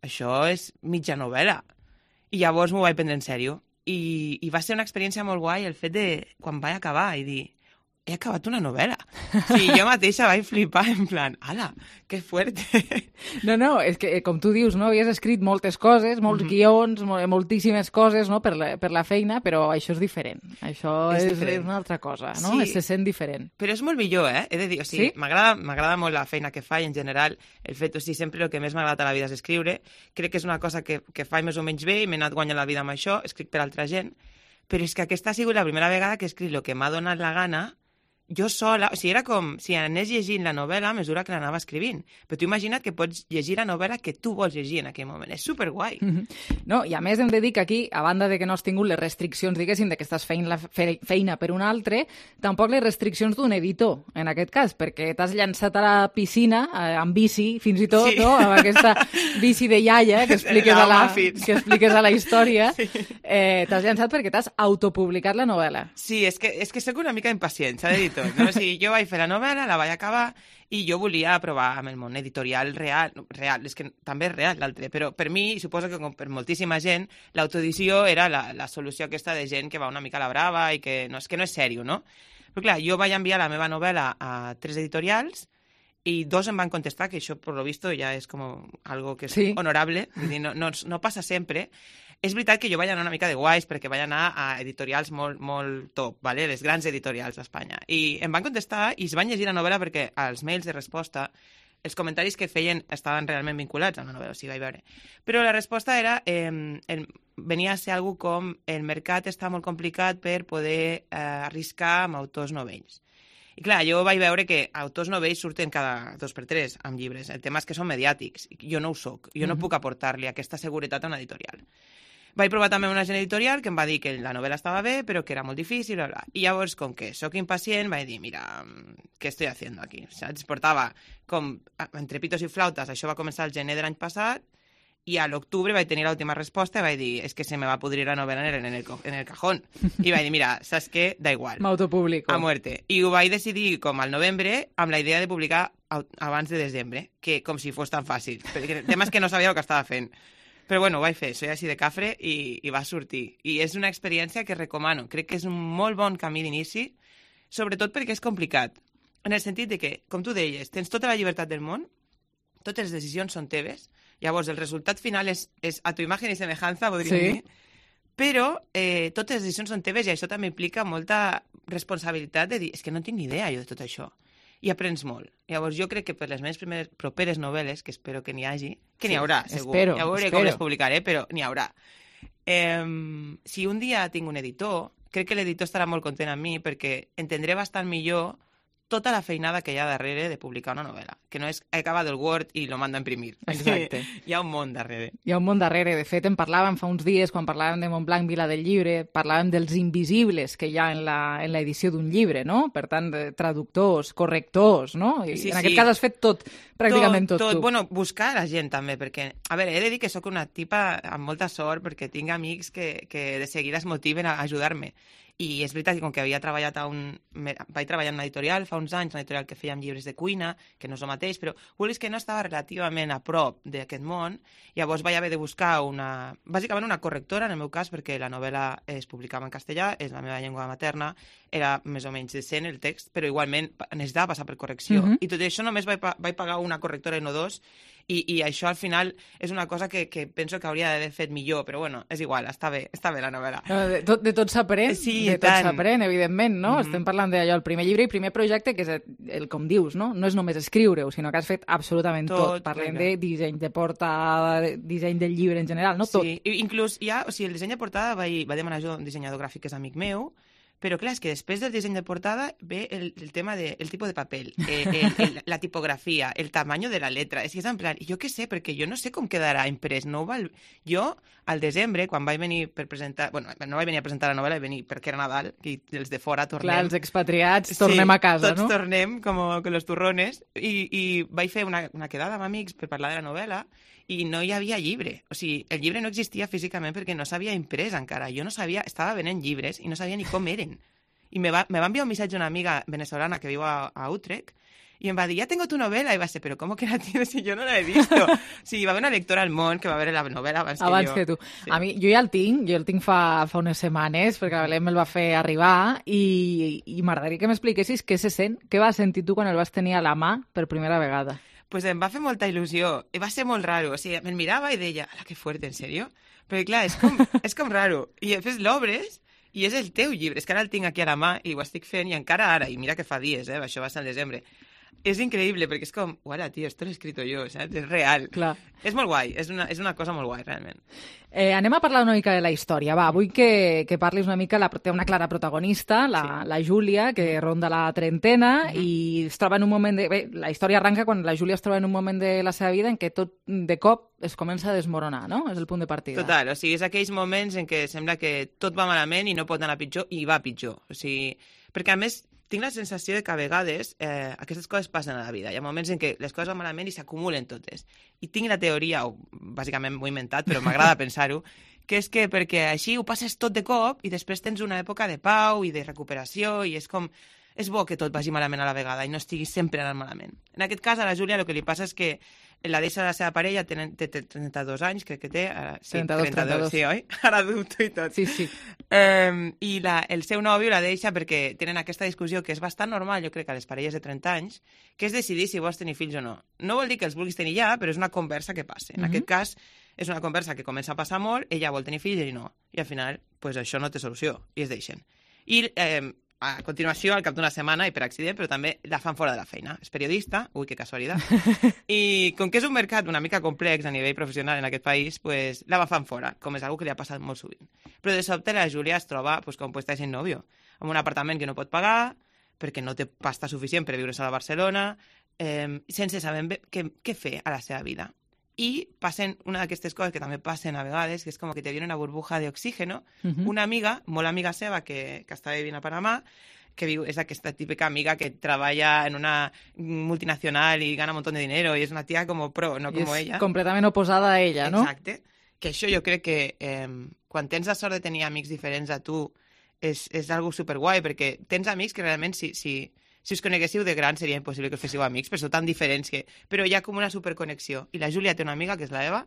Això és mitja novel·la. I llavors m'ho vaig prendre en sèrio. I va ser una experiència molt guai el fet de, quan vaig acabar, i dir, he acabat una novel·la. Sí, jo mateixa vaig flipar en plan, ala, que fuerte. No, és que, com tu dius, no, havies escrit moltes coses, molts guions, moltíssimes coses, no, per la feina, però això és diferent. Això és una altra cosa, no? Sí, se sent diferent. però és molt millor, he de dir. O sigui, m'agrada molt la feina que faig, en general. El fet, o sigui, sempre el que més m'ha agradat a la vida és escriure. Crec que és una cosa que faig més o menys bé i m'he anat guanyant la vida amb això, escric per altra gent, però és que aquesta ha sigut la primera vegada que he escrit el que m'ha donat la gana jo sola, o sigui, era com si anés llegint la novel·la a mesura que l'anava escrivint. Però tu imagina't que pots llegir la novel·la que tu vols llegir en aquell moment. És superguai. No, i a més hem de dir que aquí, a banda de que no has tingut les restriccions, diguéssim, de que estàs fent la feina per un altre, tampoc les restriccions d'un editor, en aquest cas, perquè t'has llançat a la piscina, amb bici, fins i tot, no? Amb aquesta bici de iaia que expliques a la història. T'has llançat perquè t'has autopublicat la novel·la. Sí, és que soc una mica impacient, s'ha de dir. No? O sigui, jo vaig fer la novel·la, la vaig acabar i jo volia provar amb el món editorial real, és que també és real l'altre, però per mi, i suposo que com per moltíssima gent, l'autoedició era la solució aquesta de gent que va una mica a la brava i que no és sèrio, no? Però clar, jo vaig enviar la meva novel·la a 3 editorials i 2 em van contestar, que això, per lo visto, ja és com algo que és honorable, vull dir, no passa sempre. És veritat que jo vaig anar una mica de guais perquè vaig anar a editorials molt top, ¿vale? Les grans editorials d'Espanya. I em van contestar i es van llegir la novel·la perquè als mails de resposta els comentaris que feien estaven realment vinculats a la novel·la, o sigui, vaig veure. Però la resposta era, venia a ser algo com el mercat està molt complicat per poder arriscar amb autors novells. I clar, jo vaig veure que autors novells surten cada 2x3 amb llibres. El tema és que són mediàtics. Jo no ho soc. Jo no puc aportar-li aquesta seguretat a una editorial. Vaig provar també una agent editorial que em va dir que la novel·la estava bé, però que era molt difícil, bla, bla. I llavors, com que sóc impacient, vaig dir, mira, què estoy haciendo aquí? Saps? Portava com entre pitos i flautes, això va començar el gener de l'any passat, i a l'octubre vaig tenir l'última resposta i vaig dir, és que se me va pudrir la novel·la en el cajón. I vaig dir, mira, saps què? Da igual. M'autopublico. A muerte. I ho vaig decidir com al novembre amb la idea de publicar abans de desembre, que com si fos tan fàcil. Perquè el tema és que no sabia el que estava fent. Però bueno, ho vaig fer, soy així de cafre i va sortir. I és una experiència que recomano. Crec que és un molt bon camí d'inici, sobretot perquè és complicat. En el sentit de que, com tu deies, tens tota la llibertat del món, totes les decisions són teves, llavors el resultat final és a tu imagen i semejanza, podríem dir, però totes les decisions són teves i això també implica molta responsabilitat de dir, és que no tinc ni idea jo de tot això. I aprens molt. Llavors jo crec que per les meves properes novel·les, que espero que n'hi hagi, que n'hi haurà, segur. Ja veuré com les publicaré, però n'hi haurà. Si un dia tinc un editor, crec que l'editor estarà molt content amb mi perquè entendré bastant millor tota la feinada que hi ha darrere de publicar una novel·la, que no és he acabat el Word i lo mando a imprimir. Exacte. Hi ha un món darrere. Hi ha un món darrere. De fet, en parlàvem fa uns dies, quan parlàvem de Montblanc, Vila del Llibre, parlàvem dels invisibles que hi ha en l'edició d'un llibre, no? Per tant, traductors, correctors, no? I en aquest cas has fet tot, pràcticament tot tu. Bueno, buscar la gent també, perquè, a veure, he de dir que sóc una tipa amb molta sort perquè tinc amics que de seguida es motiven a ajudar-me. I és veritat que com que havia treballat vaig treballar en una editorial fa uns anys, una editorial que fèiem llibres de cuina, que no és el mateix, però vulguis que no estava relativament a prop d'aquest món, llavors vaig haver de buscar bàsicament una correctora, en el meu cas, perquè la novel·la es publicava en castellà, és la meva llengua materna, era més o menys decent el text, però igualment necessitava passar per correcció. I tot això només vaig pagar una correctora i no dos, i això al final és una cosa que penso que hauria d'haver fet millor, però bueno, és igual, està bé la novel·la. De tot s'aprèn, evidentment, no? Estem parlant d'allò, el primer llibre i primer projecte, que és com dius, no? No és només escriure-ho, sinó que has fet absolutament tot. Parlem de disseny de portada, disseny del llibre en general, no? Tot. Sí, inclús ja, o sigui, el disseny de portada va demanar jo un dissenyador gràfic que és amic meu, però clar, és que després del disseny de portada ve el tema del tipus de paper, la tipografia, el tamany de la letra. És que és en plan, jo què sé, perquè jo no sé com quedarà imprès. Jo, al desembre, quan vaig venir per presentar... Bueno, no vaig venir a presentar la novel·la, vaig venir perquè era Nadal, i els de fora tornem... Clar, els expatriats tornem a casa, no? Tots tornem com los turrones, i vaig fer una quedada amb amics per parlar de la novel·la, i no hi havia llibre. O sigui, el llibre no existia físicament perquè no s'havia imprès encara. Jo no sabia, estava venent llibres i no sabia ni com eren. I me va enviar un missatge una amiga venezolana que viu a Utrecht i em va dir, ja tengo tu novela, i va ser, però com que la tienes si yo no la he visto? Sí, va haver una lectora al món que va veure la novel·la abans que tu. Sí. A mi, jo ja el tinc fa unes setmanes, perquè la Belén me'l va fer arribar, i m'agradaria que m'expliquessis què se sent, què vas sentir tu quan el vas tenir a la mà per primera vegada. Pues em va fer molta il·lusió, i va ser molt raro, o sigui, me'l mirava i deia, ala, que fuerte, en sèrio? Perquè clar, és com raro, i després l'obres i és el teu llibre, és que ara el tinc aquí a la mà i ho estic fent, i encara ara, i mira que fa dies, això va ser al desembre. És increïble, perquè és com, uala, tio, esto lo he escrito yo, saps? És real. Clar. És molt guai, és una cosa molt guai, realment. Anem a parlar una mica de la història. Va, vull que parlis una mica, té una clara protagonista, la Júlia, que ronda la trentena i es troba en un moment de... Bé, la història arranca quan la Júlia es troba en un moment de la seva vida en què tot de cop es comença a desmoronar, no? És el punt de partida. Total, o sigui, és aquells moments en què sembla que tot va malament i no pot anar pitjor, i va pitjor. O sigui, perquè a més tinc la sensació de que a vegades aquestes coses passen a la vida. Hi ha moments en què les coses van malament i s'acumulen totes. I tinc la teoria, o bàsicament m'ho he inventat, però m'agrada pensar-ho, que és que perquè així ho passes tot de cop i després tens una època de pau i de recuperació i és com... És bo que tot vagi malament a la vegada i no estigui sempre anant malament. En aquest cas, a la Júlia el que li passa és que la deixa la seva parella, té 32 anys, crec que té. Sí, 32, sí, oi? Ara dubto i tot. Sí. I el seu nòvio la deixa perquè tenen aquesta discussió que és bastant normal, jo crec, a les parelles de 30 anys, que és decidir si vols tenir fills o no. No vol dir que els vulguis tenir ja, però és una conversa que passa. En aquest cas, és una conversa que comença a passar molt, ella vol tenir fills i no. I al final, pues, això no té solució, i es deixen. I a continuació, al cap d'una setmana, i per accident, però també la fan fora de la feina. És periodista, ui, que casualitat. I com que és un mercat una mica complex a nivell professional en aquest país, pues, la fan fora, com és algo que li ha passat molt sovint. Però de sobte la Júlia es troba pues, com puesta sin novio, en un apartament que no pot pagar, perquè no té pasta suficient per viure sola a Barcelona, sense saber què fer a la seva vida. I passen una d'aquestes coses que també passen a vegades, que és com que te viene una burbuja d'oxígeno. Una amiga, molt amiga seva, que està vivint a Panamà, que viu, és aquesta típica amiga que treballa en una multinacional i gana un montón de dinero, i és una tia com pro, no com ella. És completament oposada a ella, no? Exacte. Que això jo crec que quan tens la sort de tenir amics diferents a tu és algo superguai, perquè tens amics que realment si us coneguéssiu de gran seria impossible que us féssiu amics, però sou tan diferents que... Però hi ha com una superconnexió. I la Júlia té una amiga, que és la Eva,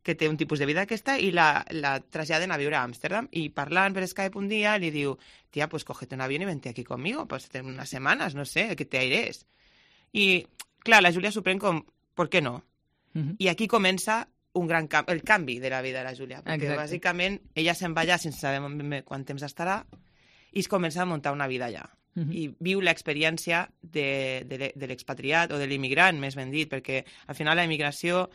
que té un tipus de vida aquesta, i la traslladen a viure a Ámsterdam. I parlant per Skype un dia, li diu, tia, pues cógete un avión y vente aquí conmigo, pues unas semanas, no sé, que te aires. I, clar, la Júlia s'ho pren com, ¿por qué no? I aquí comença el canvi de la vida de la Júlia, perquè bàsicament ella se'n va allà sense saber ben bé quant temps estarà i es comença a muntar una vida allà. I viu l'experiència de l'expatriat o de l'immigrant, més ben dit, perquè al final la immigració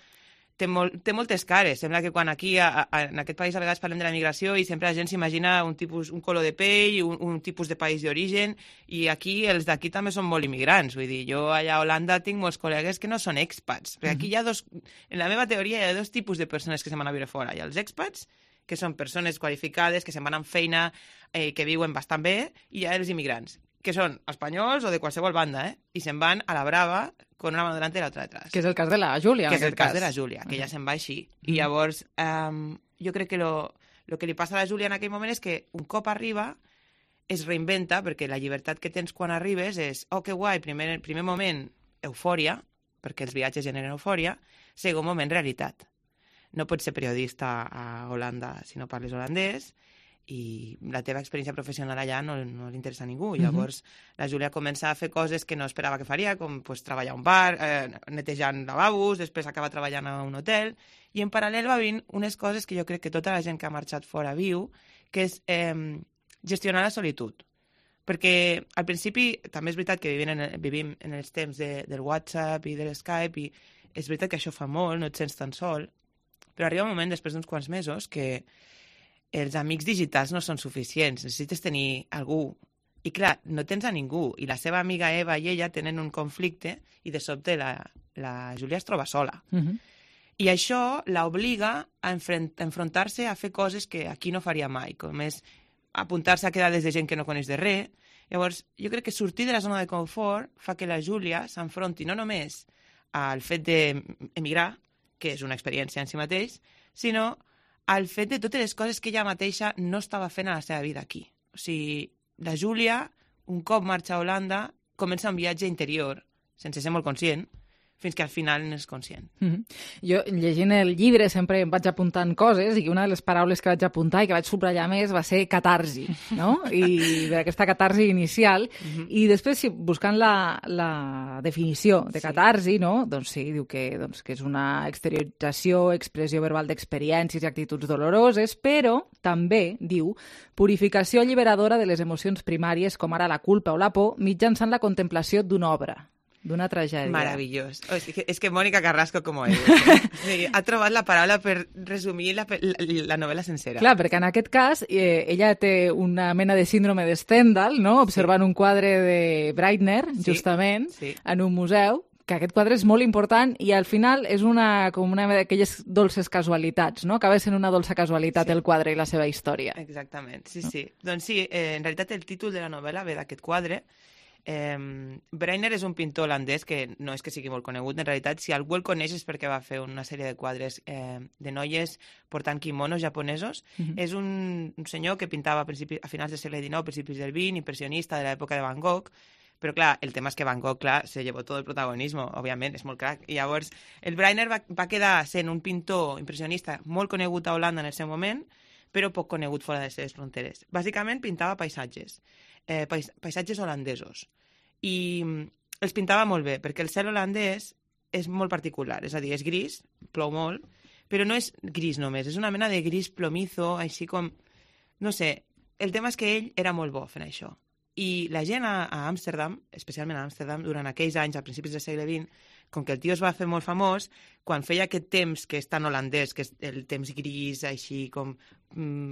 té moltes cares. Sembla que quan aquí, en aquest país, a vegades parlem de la immigració i sempre la gent s'imagina un color de pell, un tipus de país d'origen, i aquí els d'aquí també són molt immigrants. Vull dir, jo allà a Holanda tinc molts col·legues que no són expats, perquè aquí hi ha en la meva teoria hi ha dos tipus de persones que se'n van a viure fora. Hi ha els expats, que són persones qualificades, que se'n van amb feina, que viuen bastant bé, i hi ha els immigrants, que són espanyols o de qualsevol banda, i se'n van a la brava con una mano delante i l'altra detrás. Que és el cas de la Júlia. Que és el cas de la Júlia, que ja se'n va així. I llavors, jo crec que lo que li passa a la Júlia en aquell moment és que un cop arriba es reinventa, perquè la llibertat que tens quan arribes és, oh, que guai, primer moment, eufòria, perquè els viatges generen eufòria, segon moment, realitat. No pots ser periodista a Holanda si no parles holandès, i la teva experiència professional allà no li interessa a ningú. Llavors, la Júlia comença a fer coses que no esperava que faria, com treballar a un bar, netejant lavabos, després acaba treballant a un hotel, i en paral·lel va venint unes coses que jo crec que tota la gent que ha marxat fora viu, que és gestionar la solitud. Perquè al principi també és veritat que vivim en els temps del WhatsApp i de l'Skype, i és veritat que això fa molt, no et sents tan sol, però arriba un moment, després d'uns quants mesos, que els amics digitals no són suficients, necessites tenir algú. I clar, no tens a ningú, i la seva amiga Eva i ella tenen un conflicte i de sobte la Júlia es troba sola. I això l'obliga a enfrontar-se a fer coses que aquí no faria mai, com és apuntar-se a quedades de gent que no coneix de res. Llavors, jo crec que sortir de la zona de confort fa que la Júlia s'enfronti no només al fet d'emigrar, que és una experiència en si mateix, sinó al fet de totes les coses que ella mateixa no estava fent a la seva vida aquí. O sigui, la Júlia, un cop marxa a Holanda, comença un viatge interior, sense ser molt conscient, fins que al final n'és conscient. Jo, llegint el llibre, sempre em vaig apuntant coses, i una de les paraules que vaig apuntar i que vaig subratllar més va ser catarsi, no? I aquesta catarsi inicial. I després, buscant la definició de catarsi, no? Doncs sí, diu que és una exteriorització, expressió verbal d'experiències i actituds doloroses, però també, diu, purificació alliberadora de les emocions primàries, com ara la culpa o la por, mitjançant la contemplació d'una obra, d'una tragèdia. Meravellós. És que Mònica Carrasco, com ell, ha trobat la paraula per resumir la novel·la sencera. Clar, perquè en aquest cas ella té una mena de síndrome de Stendhal, no? Observant un quadre de Breitner, justament, en un museu, que aquest quadre és molt important i al final és com una d'aquelles dolces casualitats, no? Acaba sent una dolça casualitat el quadre i la seva història. Exactament, sí. Doncs sí, en realitat el títol de la novel·la ve d'aquest quadre. Breitner és un pintor holandès que no és que sigui molt conegut, en realitat si algú el coneix és perquè va fer una sèrie de quadres de noies portant quimonos japonesos. És un senyor que pintava a finals del segle XIX, principis del XX, impressionista de l'època de Van Gogh, però clar, el tema és que Van Gogh, clar, se llevó tot el protagonisme, òbviament, és molt crac. I llavors el Breitner va quedar sent un pintor impressionista molt conegut a Holanda en el seu moment, però poc conegut fora de les seves fronteres. Bàsicament pintava paisatges holandesos. I els pintava molt bé, perquè el cel holandès és molt particular, és a dir, és gris, plou molt, però no és gris només, és una mena de gris plomizo, així com... No sé, el tema és que ell era molt bo fent això. I la gent a Amsterdam, especialment a Amsterdam, durant aquells anys, a principis del segle XX, com que el tio es va fer molt famós, quan feia aquest temps que és tan holandès, que és el temps gris, així com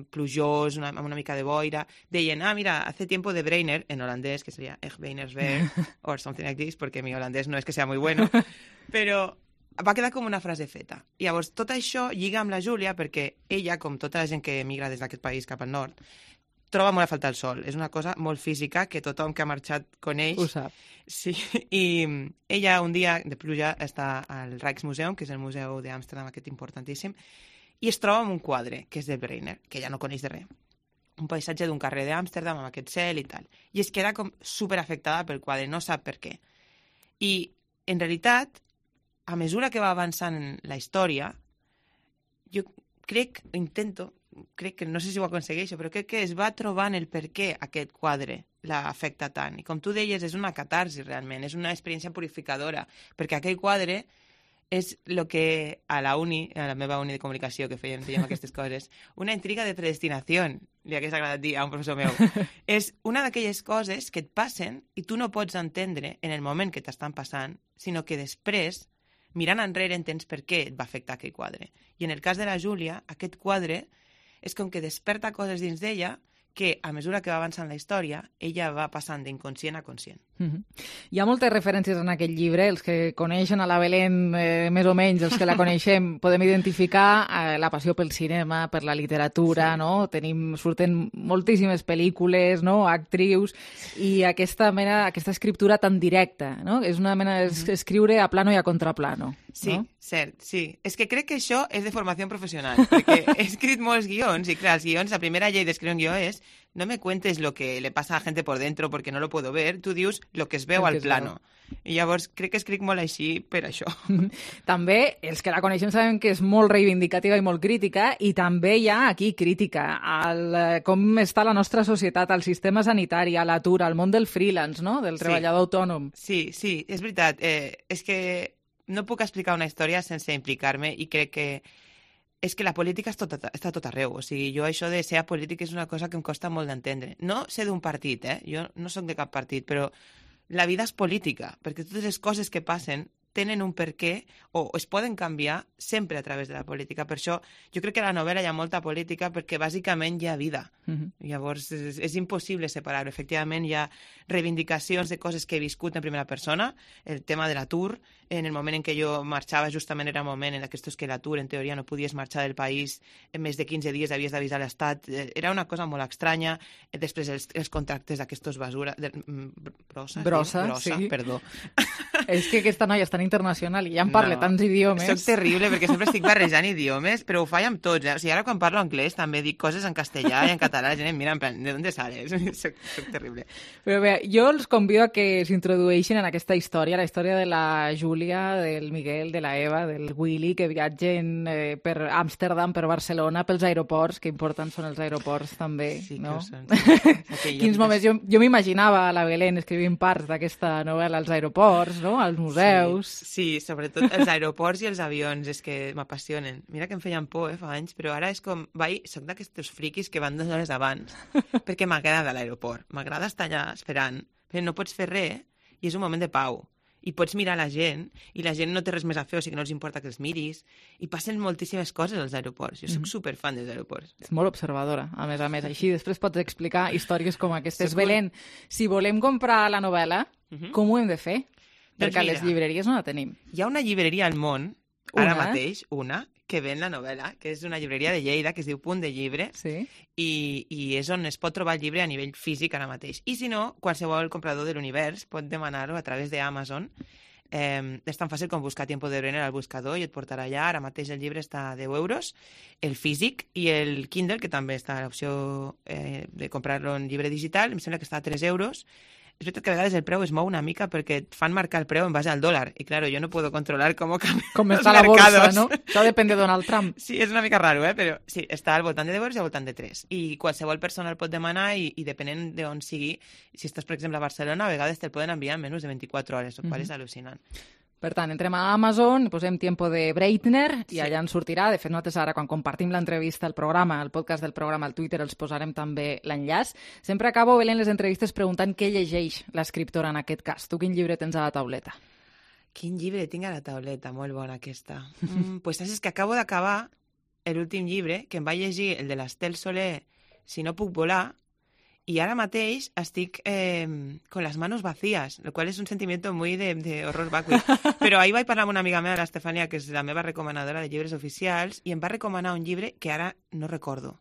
plujós, amb una mica de boira, deien, mira, hace tiempo de Breitner, en holandès, que seria Ich Weinersberg, or something like this, perquè mi holandès no és que sea muy bueno, però va quedar com una frase feta. I llavors tot això lliga amb la Júlia, perquè ella, com tota la gent que emigra des d'aquest país cap al nord, troba molt a faltar el sol. És una cosa molt física que tothom que ha marxat coneix. Ho sap. Sí, i ella un dia de pluja està al Rijksmuseum, que és el museu d'Amsterdam, aquest importantíssim, i es troba amb un quadre, que és de Breitner, que ella no coneix de res. Un paisatge d'un carrer d'Amsterdam amb aquest cel i tal. I es queda com superafectada pel quadre, no sap per què. I, en realitat, a mesura que va avançant la història, jo crec que no sé si ho aconsegueixo, però crec que es va trobant el per què aquest quadre l'afecta tant. I com tu deies, és una catarsi realment, és una experiència purificadora, perquè aquell quadre és el que a la meva uni de comunicació, que fèiem aquestes coses, una intriga de predestinació, li hagués agradat dir a un professor meu. És una d'aquelles coses que et passen i tu no pots entendre en el moment que t'estan passant, sinó que després, mirant enrere, entens per què et va afectar aquell quadre. I en el cas de la Júlia, aquest quadre és com que desperta coses dins d'ella que, a mesura que va avançant la història, ella va passant d'inconscient a conscient. Hi ha moltes referències en aquest llibre. Els que coneixen a la Belén, més o menys, els que la coneixem, podem identificar la passió pel cinema, per la literatura, no? Surten moltíssimes pel·lícules, no? Actrius, i aquesta escriptura tan directa, no? És una mena d'escriure a plano i a contraplano. Sí, no? cert, sí. És que crec que això és de formació professional, perquè he escrit molts guions, i clar, els guions, la primera llei d'escriure un guió és no me cuentes lo que le pasa a la gente por dentro porque no lo puedo ver, tu dius lo que es veu al plano. I llavors crec que escric molt així per això. També els que la coneixem saben que és molt reivindicativa i molt crítica, i també hi ha aquí crítica al com està la nostra societat, al sistema sanitari, a l'atur, al món del freelance, no? Del treballador autònom. Sí, és veritat. És que no puc explicar una història sense implicar-me, i crec que és que la política està tot arreu. O sigui, jo això de ser apolític és una cosa que em costa molt d'entendre. No sé d'un partit, jo no soc de cap partit, però la vida és política, perquè totes les coses que passen tenen un per què o es poden canviar sempre a través de la política. Per això jo crec que a la novel·la hi ha molta política perquè bàsicament hi ha vida. Llavors és impossible separar-ho. Efectivament hi ha reivindicacions de coses que he viscut en primera persona, el tema de l'atur. En el moment en què jo marxava justament era un moment en aquests que l'atur, en teoria, no podies marxar del país en més de 15 dies, havies d'avisar l'Estat. Era una cosa molt estranya. Després els contractes d'aquestos basura... Brossa, sí. Perdó. És que aquesta noia és tan internacional i ja en parla tants idiomes. Soc terrible perquè sempre estic barrejant idiomes, però ho faig amb tots. O sigui, ara quan parlo anglès també dic coses en castellà i en català. La gent em mira en plan, ¿de dónde sales? Soc terrible. Però bé, jo els convido a que s'introdueixin en aquesta història, la història de la Júlia, del Miguel, de la Eva, del Willy, que viatgen per Amsterdam, per Barcelona, pels aeroports, que importants són els aeroports també, sí, no? Són, sí. Quins moments... Jo m'imaginava a la Belén escrivint parts d'aquesta novel·la als aeroports, no? Als museus... Sí, sobretot els aeroports i els avions, és que m'apassionen. Mira que em feien por, fa anys, però ara és com... Soc d'aquests friquis que van 2 hores abans, perquè m'agrada l'aeroport. M'agrada estar allà esperant, però no pots fer res i és un moment de pau. I pots mirar la gent, i la gent no té res més a fer, o sigui que no els importa que els miris, i passen moltíssimes coses als aeroports. Jo soc superfan dels aeroports. És molt observadora, a més. Així després pots explicar històries com aquestes. Belén, si volem comprar la novel·la, com ho hem de fer? Perquè a les llibreries no la tenim. Hi ha una llibreria al món, ara mateix, que ven la novel·la, que és una llibreria de Lleida, que es diu Punt de Llibre, i és on es pot trobar el llibre a nivell físic ara mateix. I si no, qualsevol comprador de l'univers pot demanar-ho a través d'Amazon. És tan fàcil com buscar Tiempo de Brenner al buscador i et portarà allà. Ara mateix el llibre està a 10 euros, el físic, i el Kindle, que també està a l'opció de comprar-lo en llibre digital, em sembla que està a 3 euros. És veritat que a vegades el preu es mou una mica perquè et fan marcar el preu en base al dòlar. I, claro, jo no puedo controlar com està la borsa, no? Això depèn de Donald Trump. Sí, és una mica raro, però sí, està al voltant de 10 euros i al voltant de 3. I qualsevol persona el pot demanar i depenent d'on sigui, si estàs, per exemple, a Barcelona, a vegades te'l poden enviar en menys de 24 hores, el qual és al·lucinant. Per tant, entrem a Amazon, posem Tiempo de Breitner i allà ens sortirà. De fet, nosaltres ara, quan compartim l'entrevista al programa, el podcast del programa al Twitter, els posarem també l'enllaç. Sempre acabo, Belén, les entrevistes preguntant què llegeix l'escriptora en aquest cas. Tu quin llibre tens a la tauleta? Quin llibre tinc a la tauleta? Molt bona aquesta. Pues saps que acabo d'acabar l'últim llibre, que em va llegir el de l'Estel Soler, Si no puc volar, y ahora mateix estic con las manos vacías, lo cual es un sentimiento muy de horror vacui. Però ahir vaig parlar amb una amiga meva, l'Estefania, que és la meva recomanadora de llibres oficials, i em va recomanar un llibre que ara no recordo.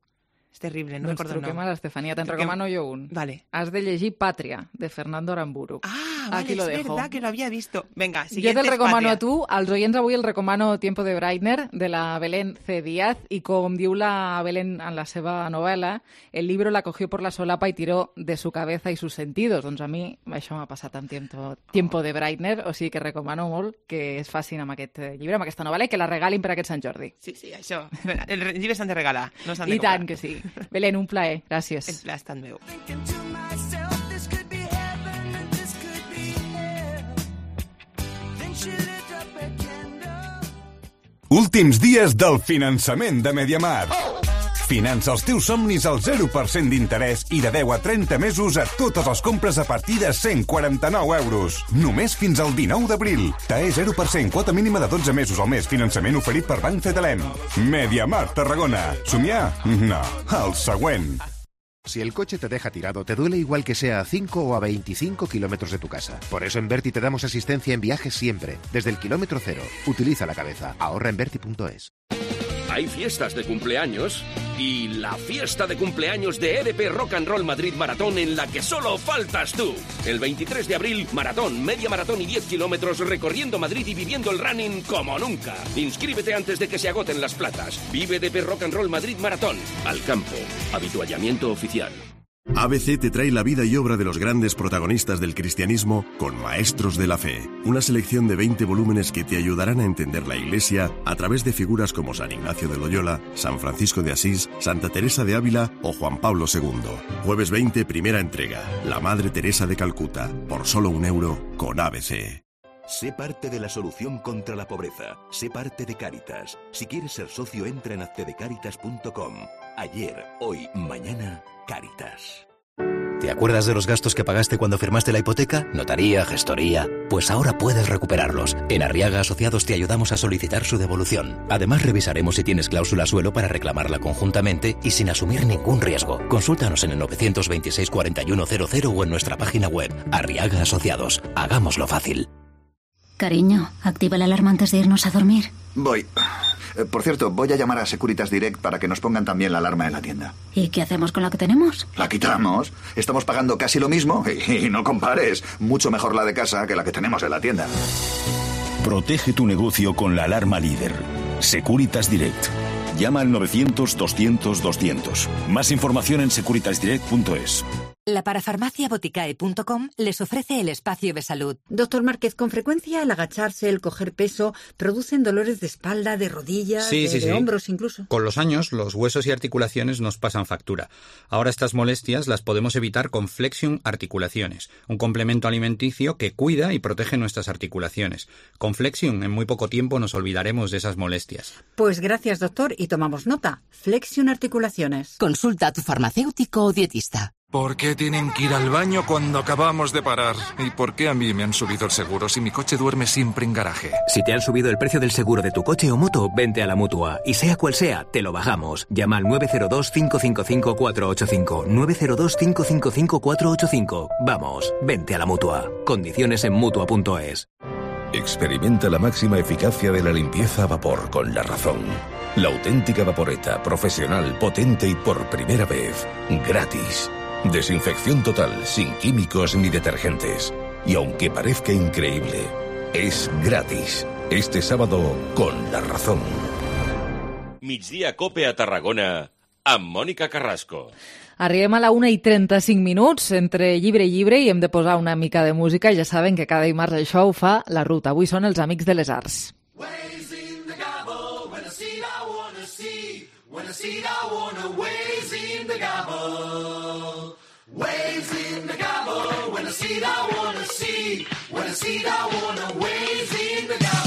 És terrible, no recordo el nom. Truquem a l'Estefania, te'n recomano jo un. Vale. Has de llegir Pàtria, de Fernando Aramburu. Ah, vale, es verdad que lo había visto. Venga, siguiente. Jo te'l recomano a tu, als oients avui el recomano Tiempo de Breitner, de la Belén C. Díaz, y com diu la Belén en la seva novel·la, el libro la cogió por la solapa y tiró de su cabeza y sus sentidos. Doncs a mi això m'ha passat amb Tiempo de Breitner, o sigui que recomano molt que es facin amb aquest llibre, amb aquesta novel·la, i que la regalin per aquest Sant Jordi. Sí, això. Els llibres s'han de regalar, no s'han de comprar. I tant que sí. Belén, un plaer. Gràcies. El plaer ha estat meu. Últims dies del finançament de Mediamar. Finança els teus somnis al 0% d'interès i de 10 a 30 mesos a totes les compres a partir de 149 euros. Només fins al 19 d'abril. TAE 0%, quota mínima de 12 mesos al mes. Finançament oferit per Banc Cetelem. Mediamar Tarragona. Somiar? No. El següent. Si el coche te deja tirado, te duele igual que sea a 5 o a 25 kilómetros de tu casa. Por eso en Berti te damos asistencia en viajes siempre, desde el kilómetro cero. Utiliza la cabeza. Ahorra en Berti.es. Hay fiestas de cumpleaños y la fiesta de cumpleaños de EDP Rock and Roll Madrid Maratón en la que solo faltas tú. El 23 de abril, maratón, media maratón y 10 kilómetros recorriendo Madrid y viviendo el running como nunca. Inscríbete antes de que se agoten las plazas. Vive EDP Rock and Roll Madrid Maratón. Al campo. Habituallamiento oficial. ABC te trae la vida y obra de los grandes protagonistas del cristianismo con Maestros de la Fe, una selección de 20 volúmenes que te ayudarán a entender la Iglesia a través de figuras como San Ignacio de Loyola, San Francisco de Asís, Santa Teresa de Ávila o Juan Pablo II. Jueves 20, primera entrega, La Madre Teresa de Calcuta, por solo €1 con ABC. Sé parte de la solución contra la pobreza. Sé parte de Cáritas. Si quieres ser socio, entra en accedecaritas.com. Ayer, hoy, mañana, Cáritas. ¿Te acuerdas de los gastos que pagaste cuando firmaste la hipoteca? Notaría, gestoría. Pues ahora puedes recuperarlos. En Arriaga Asociados te ayudamos a solicitar su devolución. Además, revisaremos si tienes cláusula suelo para reclamarla conjuntamente y sin asumir ningún riesgo. Consúltanos en el 926 41 00 o en nuestra página web. Arriaga Asociados. Hagámoslo fácil. Cariño, activa la alarma antes de irnos a dormir. Voy. Por cierto, voy a llamar a Securitas Direct para que nos pongan también la alarma en la tienda. ¿Y qué hacemos con la que tenemos? La quitamos. Estamos pagando casi lo mismo y no compares. Mucho mejor la de casa que la que tenemos en la tienda. Protege tu negocio con la alarma líder. Securitas Direct. Llama al 900-200-200. Más información en securitasdirect.es. La parafarmacia Boticae.com les ofrece el espacio de salud. Doctor Márquez, con frecuencia el agacharse, el coger peso, producen dolores de espalda, de rodillas, de hombros incluso. Con los años, los huesos y articulaciones nos pasan factura. Ahora estas molestias las podemos evitar con Flexion Articulaciones, un complemento alimenticio que cuida y protege nuestras articulaciones. Con Flexion, en muy poco tiempo nos olvidaremos de esas molestias. Pues gracias, doctor, y tomamos nota. Flexion Articulaciones. Consulta a tu farmacéutico o dietista. ¿Por qué tienen que ir al baño cuando acabamos de parar? ¿Y por qué a mí me han subido el seguro si mi coche duerme siempre en garaje? Si te han subido el precio del seguro de tu coche o moto, vente a la Mutua. Y sea cual sea, te lo bajamos. Llama al 902-555-485. 902-555-485. Vamos, vente a la Mutua. Condiciones en Mutua.es. Experimenta la máxima eficacia de la limpieza a vapor con La Razón. La auténtica vaporeta, profesional, potente y por primera vez, gratis. Desinfección total, sin químicos ni detergentes. Y aunque parezca increíble, es gratis. Este sábado, con La Razón. Migdia Cope a Tarragona, amb Mònica Carrasco. Arribem a la 1:35, entre llibre i llibre, i hem de posar una mica de música. Ja saben que cada dimarts això ho fa La Ruta. Avui són els Amics de les Arts. When I see it, I wanna waves in the gabble. Waves in the gabble. When I see it, I wanna see. When I see it, I wanna waves in the gabble.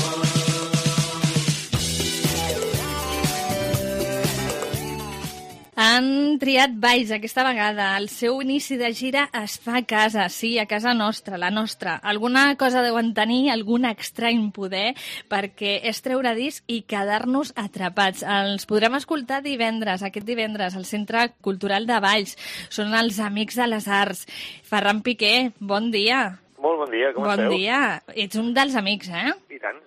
Han triat Valls aquesta vegada. El seu inici de gira es fa a casa, sí, a casa nostra, la nostra. Alguna cosa deuen tenir, algun estrany poder, perquè és treure disc i quedar-nos atrapats. Els podrem escoltar aquest divendres, al Centre Cultural de Valls. Són els Amics de les Arts. Ferran Piqué, bon dia. Molt bon dia, com esteu? Bon dia. Ets un dels amics, eh? I tant.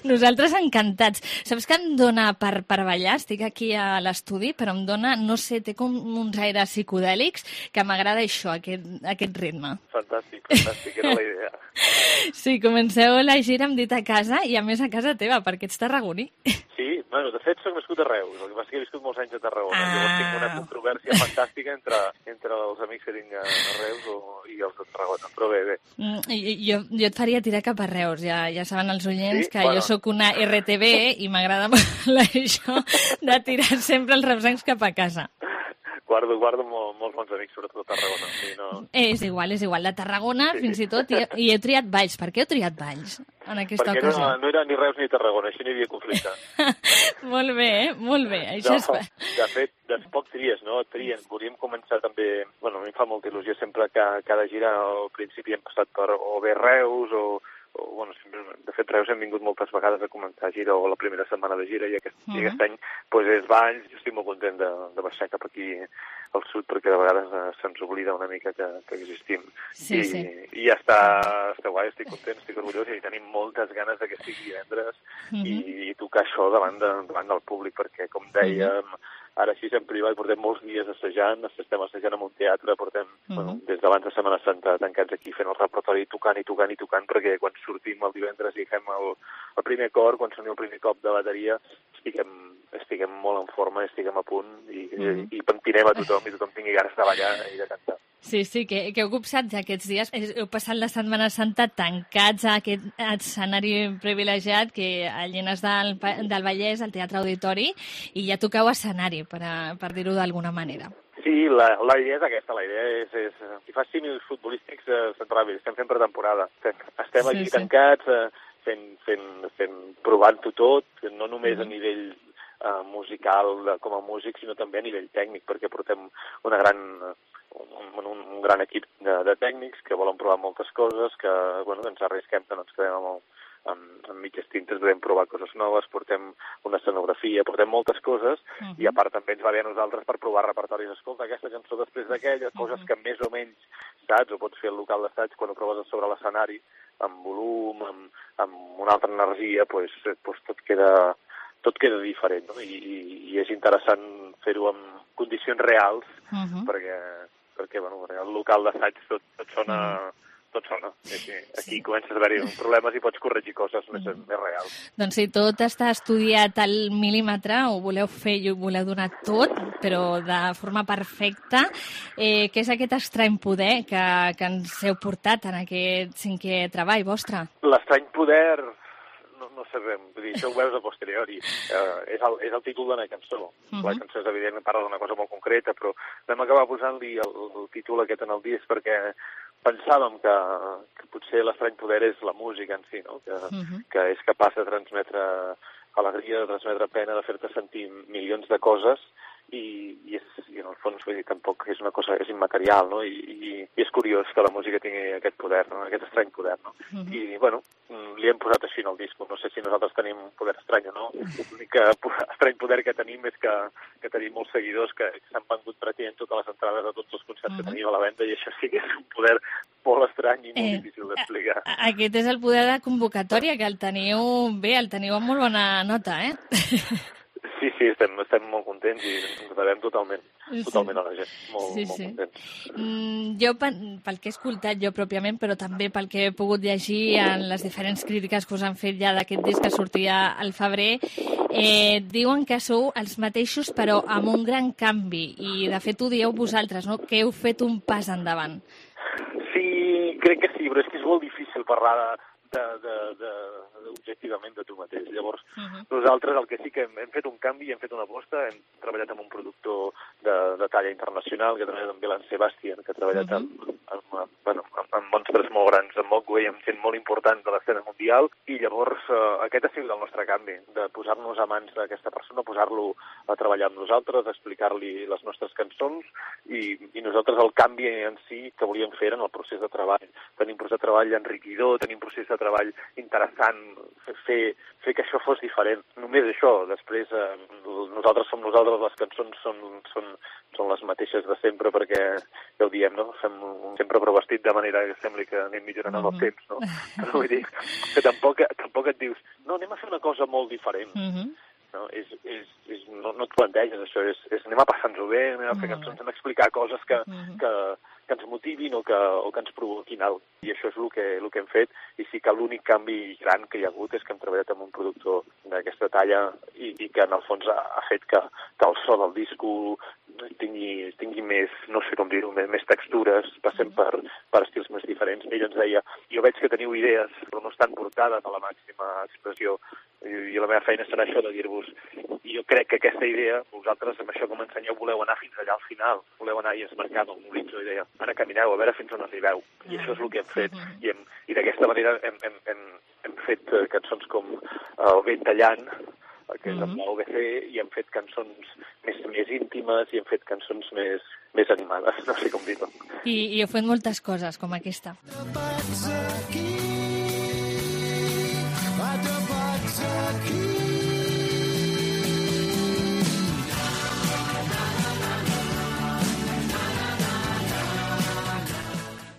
Nosaltres encantats. Saps que em dona per ballar? Estic aquí a l'estudi, però em dona, no sé, té com uns aires psicodèlics, que m'agrada això, aquest ritme. Fantàstic, era la idea. Sí, comenceu la gira, hem dit, a casa, i a més a casa teva, perquè ets tarragoní. Sí, bueno, de fet soc nascut a Reus, el que passa és que he viscut molts anys a Tarragona. Llavors tinc una controvèrsia fantàstica entre els amics que tinc a Reus i els de Tarragona, però bé. Jo et faria tirar cap a Reus, ja saben els oients, sí? Que jo sóc una RTB i m'agrada molt això de tirar sempre els reusencs cap a casa. Guardo molts bons amics, sobretot a Tarragona. Sí, no... És igual. De Tarragona, fins i tot, i he triat Valls. Per què heu triat Valls en aquesta ocasió? Perquè no era ni Reus ni Tarragona, així no hi havia conflicte. Molt bé, molt bé. Això de fet, poc tries, no? Volíem començar també... Bueno, a mi em fa molta il·lusió sempre que cada gira al principi hem passat per o bé Reus o bueno, sempre, de fet, Reus hem vingut moltes vegades a començar gira o la primera setmana de gira i aquest any pues, és Valls. Jo estic molt content de baixar cap aquí al sud perquè de vegades se'ns oblida una mica que existim. Sí. I ja està guai, estic content, estic orgullós i tenim moltes ganes que sigui divendres i tocar això davant del públic perquè, com dèiem, ara així en privat portem molts dies assajant, estem assajant en un teatre, portem des d'abans de Setmana Santa tancats aquí fent el repertori, tocant, perquè quan sortim el divendres i fem el primer cor, quan soni el primer cop de bateria, estiguem molt en forma, estiguem a punt i pentinem a tothom i tothom tingui ganes de ballar i de cantar. Sí, que heu copsat aquests dies. Heu passat la Setmana Santa tancats a aquest escenari privilegiat que a Llenes del Vallès, al Teatre Auditori, i ja toqueu escenari, per dir-ho d'alguna manera. Sí, la idea és aquesta. La idea és si fas símils futbolístics, estem fent pretemporada. Estem aquí tancats, provant-ho tot, no només a nivell musical com a músic, sinó també a nivell tècnic, perquè portem un gran equip de tècnics que volen provar moltes coses, que ens arrisquem, que no ens quedem amb mitges tintes, podem provar coses noves, portem una escenografia, portem moltes coses, i a part també ens va bé a nosaltres per provar repertoris. Escolta, aquesta cançó després d'aquella, coses que més o menys saps, o pots fer al local d'assaig quan ho proves sobre l'escenari, amb volum, amb una altra energia, tot queda diferent, no? I és interessant fer-ho en condicions reals, perquè el local d'assaig tot sona. Aquí comences a haver-hi problemes i pots corregir coses més reals. Doncs si tot està estudiat al mil·límetre, ho voleu fer i ho voleu donar tot, però de forma perfecta, què és aquest estrany poder que ens heu portat en aquest 5è treball vostre? L'estrany poder... No sabem, vull dir, això ho veus a posteriori. És el títol d'una cançó. La cançó és evident, parla d'una cosa molt concreta, però vam acabar posant-li el títol aquest en el disc perquè pensàvem que potser l'estrany poder és la música en si, no? Que és capaç de transmetre alegria, de transmetre pena, de fer-te sentir milions de coses i en el fons, vull dir, tampoc és una cosa, és immaterial, no? I és curiós que la música tingui aquest poder, no? Aquest estrany poder, no? I, bueno, li hem posat així en el disc. No sé si nosaltres tenim un poder estrany o no. L'únic estrany poder que tenim és que tenim molts seguidors que s'han vengut pràcticament totes les entrades a tots els concerts que tenim a la venda i això sí que és un poder molt estrany i molt difícil d'explicar. Aquest és el poder de convocatòria, que el teniu amb molt bona nota, Sí, estem molt contents i ens devem totalment a la gent, molt contents. Jo, pel que he escoltat jo pròpiament, però també pel que he pogut llegir en les diferents crítiques que us han fet ja d'aquest disc que sortia al febrer, diuen que sou els mateixos però amb un gran canvi i de fet ho dieu vosaltres, no? Que heu fet un pas endavant. Sí, crec que sí, però és que és molt difícil parlar objectivament de tu mateix. Llavors, nosaltres el que sí que hem fet un canvi, hem fet una aposta, hem treballat amb un productor de talla internacional, que ha treballat amb Belen Sebastian, que ha treballat amb monstres molt grans, amb Mogwai, amb gent molt important de l'escena mundial, i llavors aquest ha sigut el nostre canvi, de posar-nos a mans d'aquesta persona, posar-lo a treballar amb nosaltres, explicar-li les nostres cançons, i nosaltres el canvi en si que volíem fer en el procés de treball. Tenim procés de treball enriquidor, tenim procés de treball interessant, fer que això fos diferent. Només això. Després, nosaltres som nosaltres, les cançons són les mateixes de sempre, perquè, ja ho diem, no? Fem sempre però vestit de manera que sembli que anem millorant amb el temps, no? Però vull dir que tampoc et dius, no, anem a fer una cosa molt diferent. No, no et planteges això, és anem a passar-nos-ho bé, anem a fer cançons, anem a explicar coses que ens motivin o que ens provoquin alguna cosa. I això és el que hem fet, i sí que l'únic canvi gran que hi ha hagut és que hem treballat amb un productor d'aquesta talla i que en el fons ha fet que el so del disco tingui més, no sé com dir-ho, més textures, passem per estils més diferents. Ell ens deia, jo veig que teniu idees, però no estan portades a la màxima expressió, i la meva feina serà això de dir-vos, i jo crec que aquesta idea, vosaltres amb això que m'ensenyeu voleu anar fins allà al final, voleu anar i es marcava un horitzó i deia, ara camineu, a veure fins on arribeu. I això és el que hem fet. I d'aquesta manera hem fet cançons com El vent tallant, que és amb l'OBC, i hem fet cançons més íntimes i hem fet cançons més animades, no sé com dir-ho. I heu fet moltes coses, com aquesta.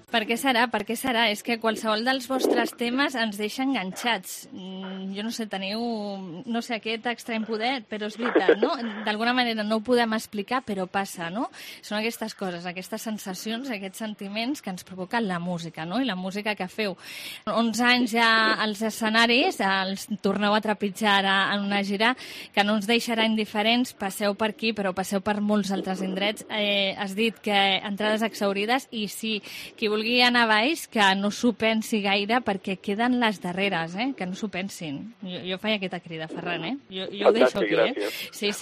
Per què serà? Per què serà? És que qualsevol dels vostres temes ens deixa enganxats. Jo no sé, teniu, no sé, aquest estrany poder, però és veritat, no? D'alguna manera no ho podem explicar, però passa, no? Són aquestes coses, aquestes sensacions, aquests sentiments que ens provoquen la música, no? I la música que feu. 11 anys ja als escenaris, els torneu a trepitjar ara en una gira que no ens deixarà indiferents, passeu per aquí, però passeu per molts altres indrets. Has dit que entrades exhaurides i sí, qui vulgui anar a baix, que no s'ho pensi gaire perquè queden les darreres, que no s'ho pensin. Jo faig aquesta crida, Ferran, Jo ho deixo aquí, Sí,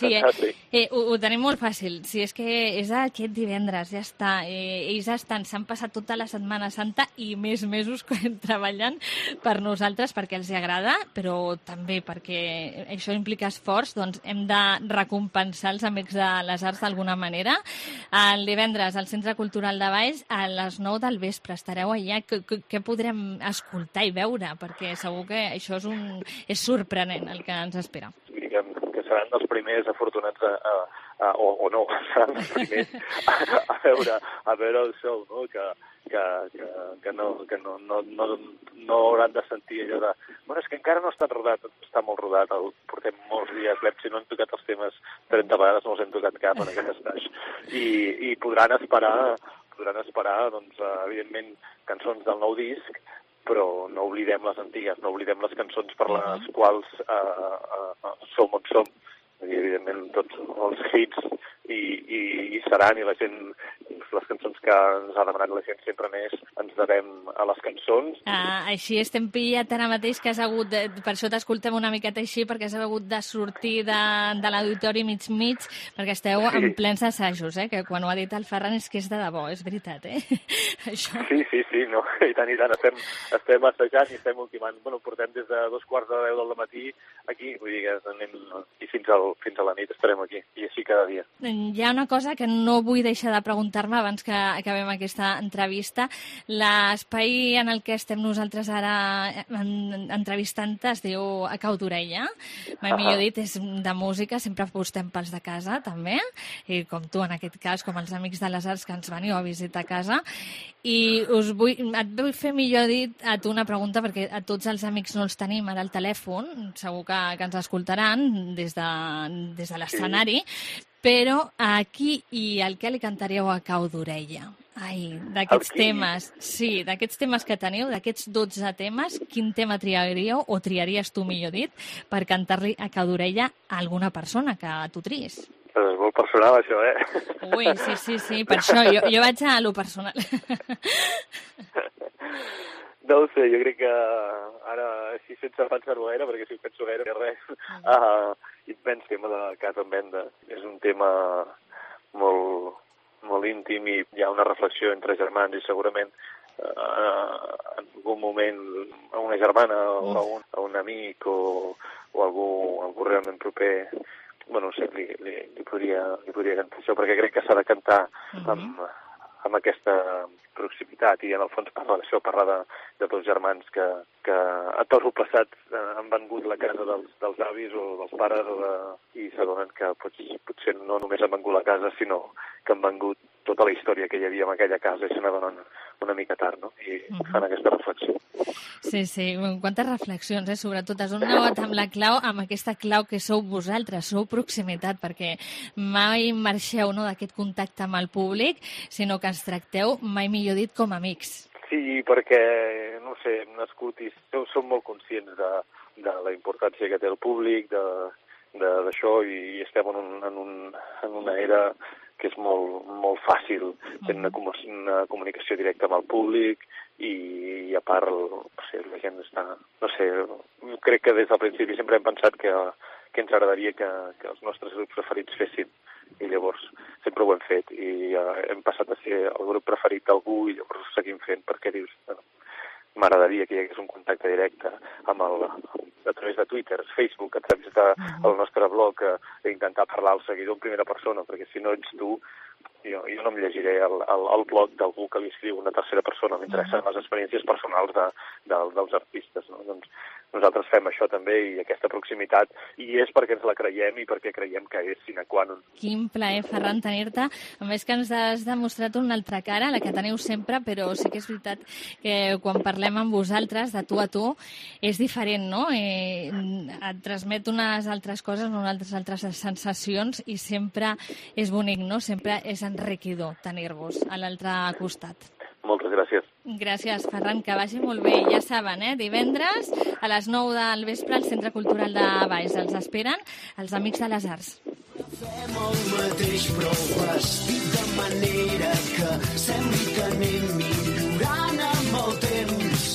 ho tenim molt fàcil. Si és que és aquest divendres, ja està. Ells s'han passat tota la Setmana Santa i més mesos treballant per nosaltres perquè els agrada, però també perquè això implica esforç, doncs hem de recompensar els amics de les arts d'alguna manera. El divendres al Centre Cultural de Valls a les 9 del vespre estareu allà. Què podrem escoltar i veure? Perquè segur que això és sorprenent el que ens espera. Que seran els primers afortunats o no, seran els primers a veure el show, no? Que no hauran de sentir allò de... Bueno, és que encara no està rodat, està molt rodat, portem molts dies, si no hem tocat els temes 30 vegades, no els hem tocat cap en aquest estaix. I podran esperar, doncs, evidentment, cançons del nou disc, però no oblidem les antigues, no oblidem les cançons per les quals som on som. I, evidentment, tots els hits i seran, i la gent, les cançons que ens ha demanat la gent sempre més, ens devem a les cançons. Així estem pillat ara mateix que has hagut, per això t'escoltem una miqueta així, perquè has hagut de sortir de l'auditori mig, perquè esteu en plens assajos, que quan ho ha dit el Ferran és que és de debò, és veritat, Això. Sí, no, i tant, estem assajant i estem ultimant. Bueno, portem des de 2:45 del matí aquí, vull dir que anem i fins a la nit estarem aquí, i així cada dia. Hi ha una cosa que no vull deixar de preguntar-me abans que acabem aquesta entrevista. L'espai en el que estem nosaltres ara entrevistant-te es diu A Cau d'Orella. Mai millor dit, és de música, sempre apostem pels de casa, també, i com tu en aquest cas, com els amics de les arts que ens veniu a visitar a casa. I et vull fer, millor dit, a tu una pregunta, perquè a tots els amics no els tenim ara al telèfon, segur que ens escoltaran des de l'escenari, però a qui i al què li cantaríeu A Cau d'Orella? D'aquests temes, sí, d'aquests temes que teniu, d'aquests 12 temes, quin tema triaríeu, o triaries tu, millor dit, per cantar-li A Cau d'Orella a alguna persona que tu tries? És molt personal, això, Ui, sí, per això, jo vaig a lo personal. No ho sé, jo crec que ara, així sense pensar-ho gaire, perquè si ho penso gaire, res, immens tema de Casa en Venda. És un tema molt íntim i hi ha una reflexió entre germans i segurament en algun moment a una germana o a un amic o algú realment proper, bueno, no sé, li podria cantar això, perquè crec que s'ha de cantar amb aquesta proximitat i en el fons parla d'això, parla de dos germans que a tot el passat han vengut la casa dels avis o dels pares i s'adonen que potser no només han vengut la casa, sinó que han vengut tota la història que hi havia en aquella casa i se n'adonen una mica tard, no? I fan aquesta reflexió. Sí, quantes reflexions, sobretot has donat amb aquesta clau que sou vosaltres, sou proximitat, perquè mai marxeu d'aquest contacte amb el públic, sinó que ens tracteu, mai millor dit, com amics. Sí, perquè, no sé, hem nascut i som molt conscients de la importància que té el públic, d'això, i estem en una era que és molt fàcil tenir una comunicació directa amb el públic i a part, la gent està... No sé, crec que des del principi sempre hem pensat que ens agradaria que els nostres grups preferits fessin, i llavors sempre ho hem fet, i hem passat a ser el grup preferit d'algú i llavors ho seguim fent, perquè dius, m'agradaria que hi hagués un contacte directe a través de Twitter, Facebook, a través del nostre blog, d'intentar parlar al seguidor en primera persona, perquè si no ets tu, jo no em llegiré el blog d'algú que li escriu una tercera persona, m'interessen les experiències personals dels artistes, no? Doncs nosaltres fem això també, i aquesta proximitat, i és perquè ens la creiem i perquè creiem que és sine qua non. Quin plaer, Ferran, tenir-te. A més que ens has demostrat una altra cara, la que teniu sempre, però sí que és veritat que quan parlem amb vosaltres, de tu a tu, és diferent, no? Et transmet unes altres coses, unes altres sensacions, i sempre és bonic, no? Sempre és enriquidor tenir-vos a l'altre costat. Moltes gràcies. Gràcies, Ferran, que vagi molt bé. Ja saben, divendres a les 9 del vespre al Centre Cultural de Valls. Els esperen els Amics de les Arts. Fem el mateix però vestit de manera que sembli que anem millorant amb el temps.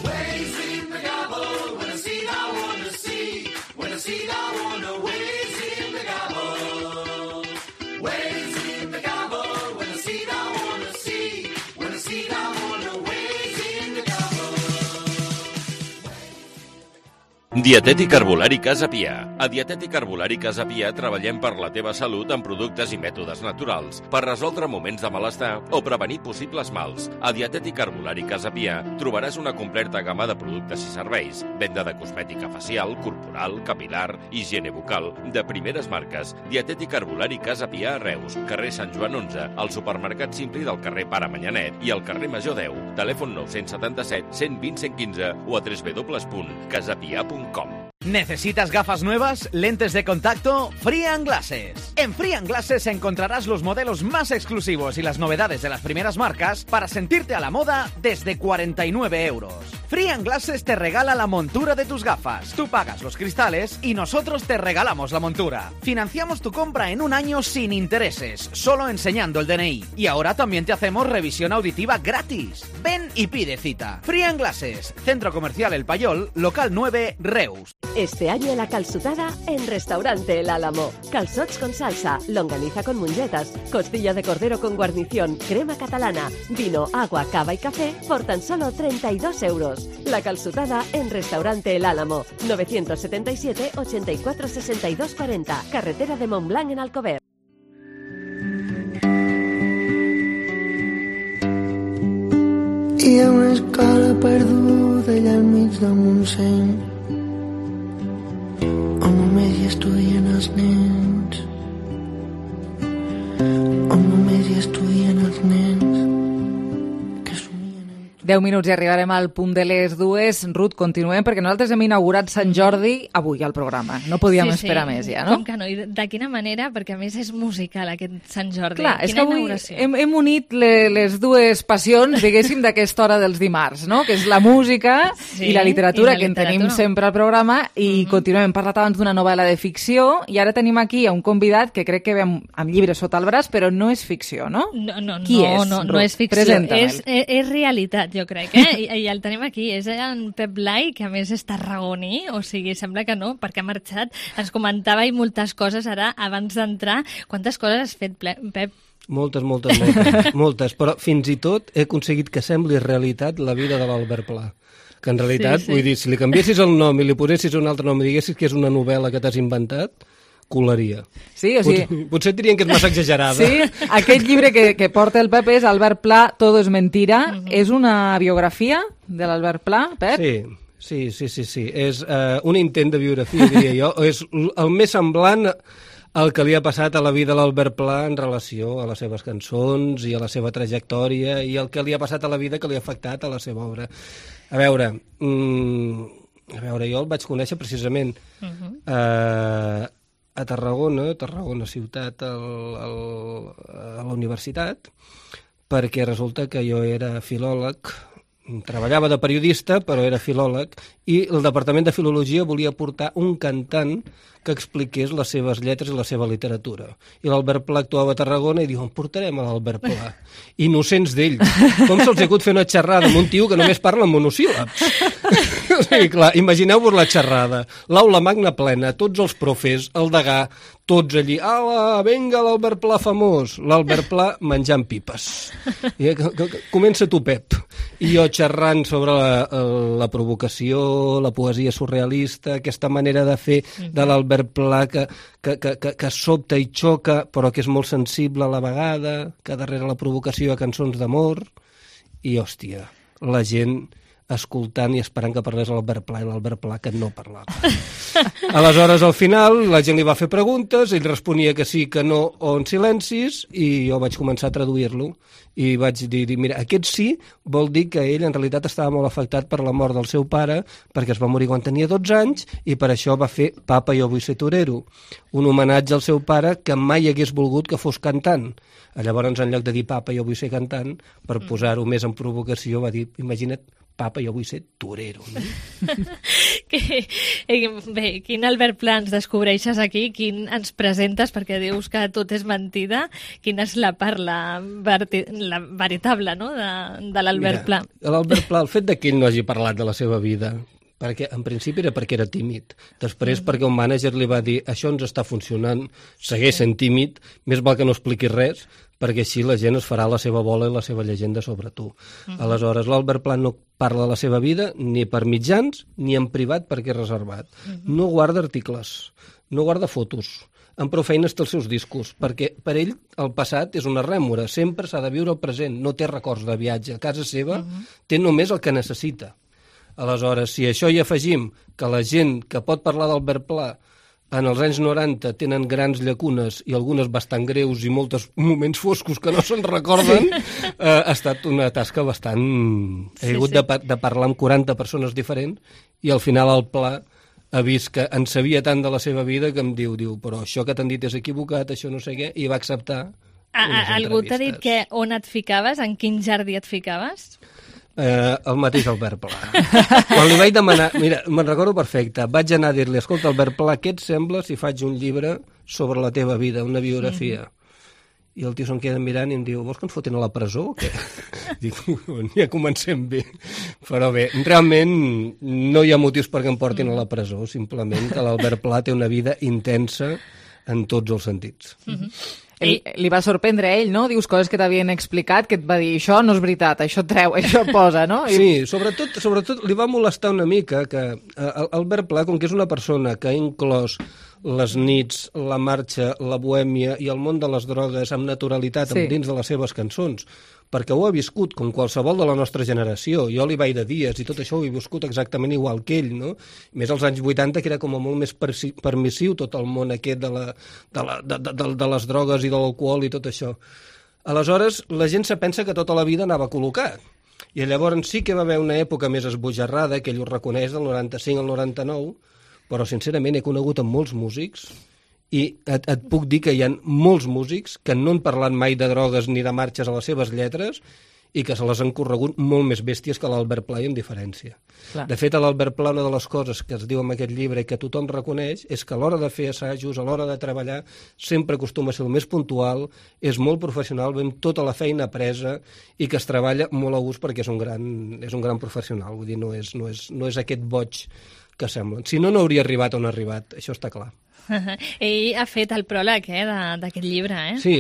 Waves in the gobble, when I see I wanna see, when I see I wanna waves in the gobble. Waves in the gobble. Dietètic Herbolari Casa Pia. A Dietètic Herbolari Casa Pia treballem per la teva salut amb productes i mètodes naturals per resoldre moments de malestar o prevenir possibles mals. A Dietètic Herbolari Casa Pia trobaràs una completa gamma de productes i serveis, venda de cosmètica facial, corporal, capilar, higiene bucal, de primeres marques. Dietètic Herbolari Casa Pia a Reus, carrer Sant Joan 11, al supermercat Simpli del carrer Pare Manyanet i al carrer Major 10. Telèfon 977 120 115 o a www.casapia.com. ¿Necesitas gafas nuevas? ¿Lentes de contacto? Free & Glasses. En Free & Glasses encontrarás los modelos más exclusivos y las novedades de las primeras marcas para sentirte a la moda desde 49 euros. Free & Glasses te regala la montura de tus gafas. Tú pagas los cristales y nosotros te regalamos la montura. Financiamos tu compra en un año sin intereses, solo enseñando el DNI. Y ahora también te hacemos revisión auditiva gratis. Ven y pide cita. Free & Glasses, Centro Comercial El Payol, local 9, Reus. Este año la calçotada en Restaurante El Álamo. Calçots con salsa, longaniza con mongetas, costilla de cordero con guarnición, crema catalana, vino, agua, cava y café por tan solo 32 euros. La calçotada en Restaurante El Álamo. 977 84 62 40. Carretera de Montblanc en Alcover. Hi ha una escala perduda allà enmig del Montseny on només hi estudien els nens, on només hi estudien els nens. 10 minuts i arribarem al punt de les 2. Ruth, continuem, perquè nosaltres hem inaugurat Sant Jordi avui al programa. No podíem esperar més ja, no? Com que no? I de quina manera? Perquè a més és musical aquest Sant Jordi. Clar, és que avui hem unit les dues passions, diguéssim, d'aquesta hora dels dimarts, no? Que és la música i la literatura, que en tenim sempre al programa, i continuem. Hem parlat abans d'una novel·la de ficció, i ara tenim aquí a un convidat que crec que ve amb llibres sota el braç, però no és ficció, no? Qui és, Ruth? No és ficció, és realitat, jo crec, I el tenim aquí, és en Pep Blai, que a més és tarragoní, o sigui, sembla que no, perquè ha marxat, ens comentava i moltes coses ara, abans d'entrar. Quantes coses has fet, Pep? Moltes, però fins i tot he aconseguit que sembli realitat la vida de l'Albert Pla. Que en realitat, vull dir, si li canviessis el nom i li posessis un altre nom i diguessis que és una novel·la que t'has inventat, colaria. Sí, o sigui... Potser dirien que és massa exagerada. Sí, aquest llibre que porta el Pep és Albert Pla, Todo es mentira. És una biografia de l'Albert Pla, Pep? Sí. És un intent de biografia, diria jo. És el més semblant al que li ha passat a la vida a l'Albert Pla en relació a les seves cançons i a la seva trajectòria i el que li ha passat a la vida que li ha afectat a la seva obra. A veure, jo el vaig conèixer precisament a Tarragona ciutat, a la universitat, perquè resulta que jo era filòleg treballava de periodista, però era filòleg, i el Departament de Filologia volia portar un cantant que expliqués les seves lletres i la seva literatura. I l'Albert Pla actuava a Tarragona i diu, en portarem a l'Albert Pla. Innocents d'ells. Com se'ls ha hagut fer una xerrada amb un tio que només parla en monosíl·labs? O sigui, clar, imagineu-vos la xerrada. L'aula magna plena, tots els profes, el degà, tots allí, ala, venga l'Albert Pla famós. L'Albert Pla menjant pipes. I comença tu, Pep. I jo xerrant sobre la provocació, la poesia surrealista, aquesta manera de fer de l'Albert Pla que sobta i xoca, però que és molt sensible a la vegada, que darrere la provocació hi ha cançons d'amor. I, hòstia, la gent escoltant i esperant que parlés l'Albert Pla i l'Albert Pla que no parlava. Aleshores, al final, la gent li va fer preguntes, ell responia que sí, que no, o en silencis, i jo vaig començar a traduir-lo. I vaig dir, mira, aquest sí vol dir que ell en realitat estava molt afectat per la mort del seu pare, perquè es va morir quan tenia 12 anys, i per això va fer Papa, jo vull ser torero, un homenatge al seu pare que mai hagués volgut que fos cantant. Llavors, en lloc de dir Papa, jo vull ser cantant, per posar-ho més en provocació, va dir, imagina't, Papa, jo vull ser torero. No? Bé, quin Albert Pla ens descobreixes aquí? Quin ens presentes? Perquè dius que tot és mentida. Quina és la part, la veritable, no?, de l'Albert Pla? L'Albert Pla, el fet que ell no hagi parlat de la seva vida, perquè en principi era perquè era tímid. Després perquè un mànager li va dir això ens està funcionant, segueix sent tímid, més val que no expliquis res, perquè així la gent es farà la seva bola i la seva llegenda sobre tu. Aleshores, l'Albert Pla no parla de la seva vida ni per mitjans ni en privat perquè és reservat. No guarda articles, no guarda fotos, amb prou feines té els seus discos, perquè per ell el passat és una rèmora, sempre s'ha de viure el present, no té records de viatge. A casa seva té només el que necessita. Aleshores, si a això hi afegim que la gent que pot parlar d'Albert Pla en els anys 90 tenen grans llacunes i algunes bastant greus i molts moments foscos que no se'n recorden, ha estat una tasca bastant... He hagut de parlar amb 40 persones diferents i al final el Pla ha vist que en sabia tant de la seva vida que em diu, però això que t'han dit és equivocat, això no sé què, i va acceptar unes entrevistes. Algú t'ha dit que on et ficaves, en quin jardí et ficaves? El mateix Albert Pla. Quan li vaig demanar, mira, me'n recordo perfecte, vaig anar a dir-li, escolta, Albert Pla, què et sembla si faig un llibre sobre la teva vida, una biografia? I el tio se'n queda mirant i em diu, vols que ens fotin a la presó o què? Dic, ja comencem bé. Però bé, realment no hi ha motius perquè em portin a la presó, simplement que l'Albert Pla té una vida intensa en tots els sentits. Li va sorprendre a ell, no? Dius coses que t'havien explicat, que et va dir, això no és veritat, això treu, això posa, no? Sí, sobretot li va molestar una mica que Albert Pla, com que és una persona que ha inclòs les nits, la marxa, la bohèmia i el món de les drogues amb naturalitat dins de les seves cançons, perquè ho ha viscut com qualsevol de la nostra generació. Jo li vaig de dies i tot això ho he viscut exactament igual que ell, no? Més als anys 80, que era com a molt més permissiu tot el món aquest de les drogues i de l'alcohol i tot això. Aleshores, la gent se pensa que tota la vida anava col·locat. I llavors sí que va haver una època més esbojarrada, que ell ho reconeix, del 95 al 99, però sincerament he conegut amb molts músics i et puc dir que hi ha molts músics que no han parlat mai de drogues ni de marxes a les seves lletres i que se les han corregut molt més bèsties que l'Albert Pla, amb diferència. Clar. De fet, a l'Albert Pla, una de les coses que es diu en aquest llibre i que tothom reconeix és que a l'hora de fer assajos, a l'hora de treballar, sempre acostuma a ser el més puntual, és molt professional, ve amb tota la feina presa i que es treballa molt a gust perquè és un gran professional. Vull dir, no és aquest boig que semblen. Si no, no hauria arribat on ha arribat, això està clar. Ell ha fet el pròleg d'aquest llibre, eh? Sí,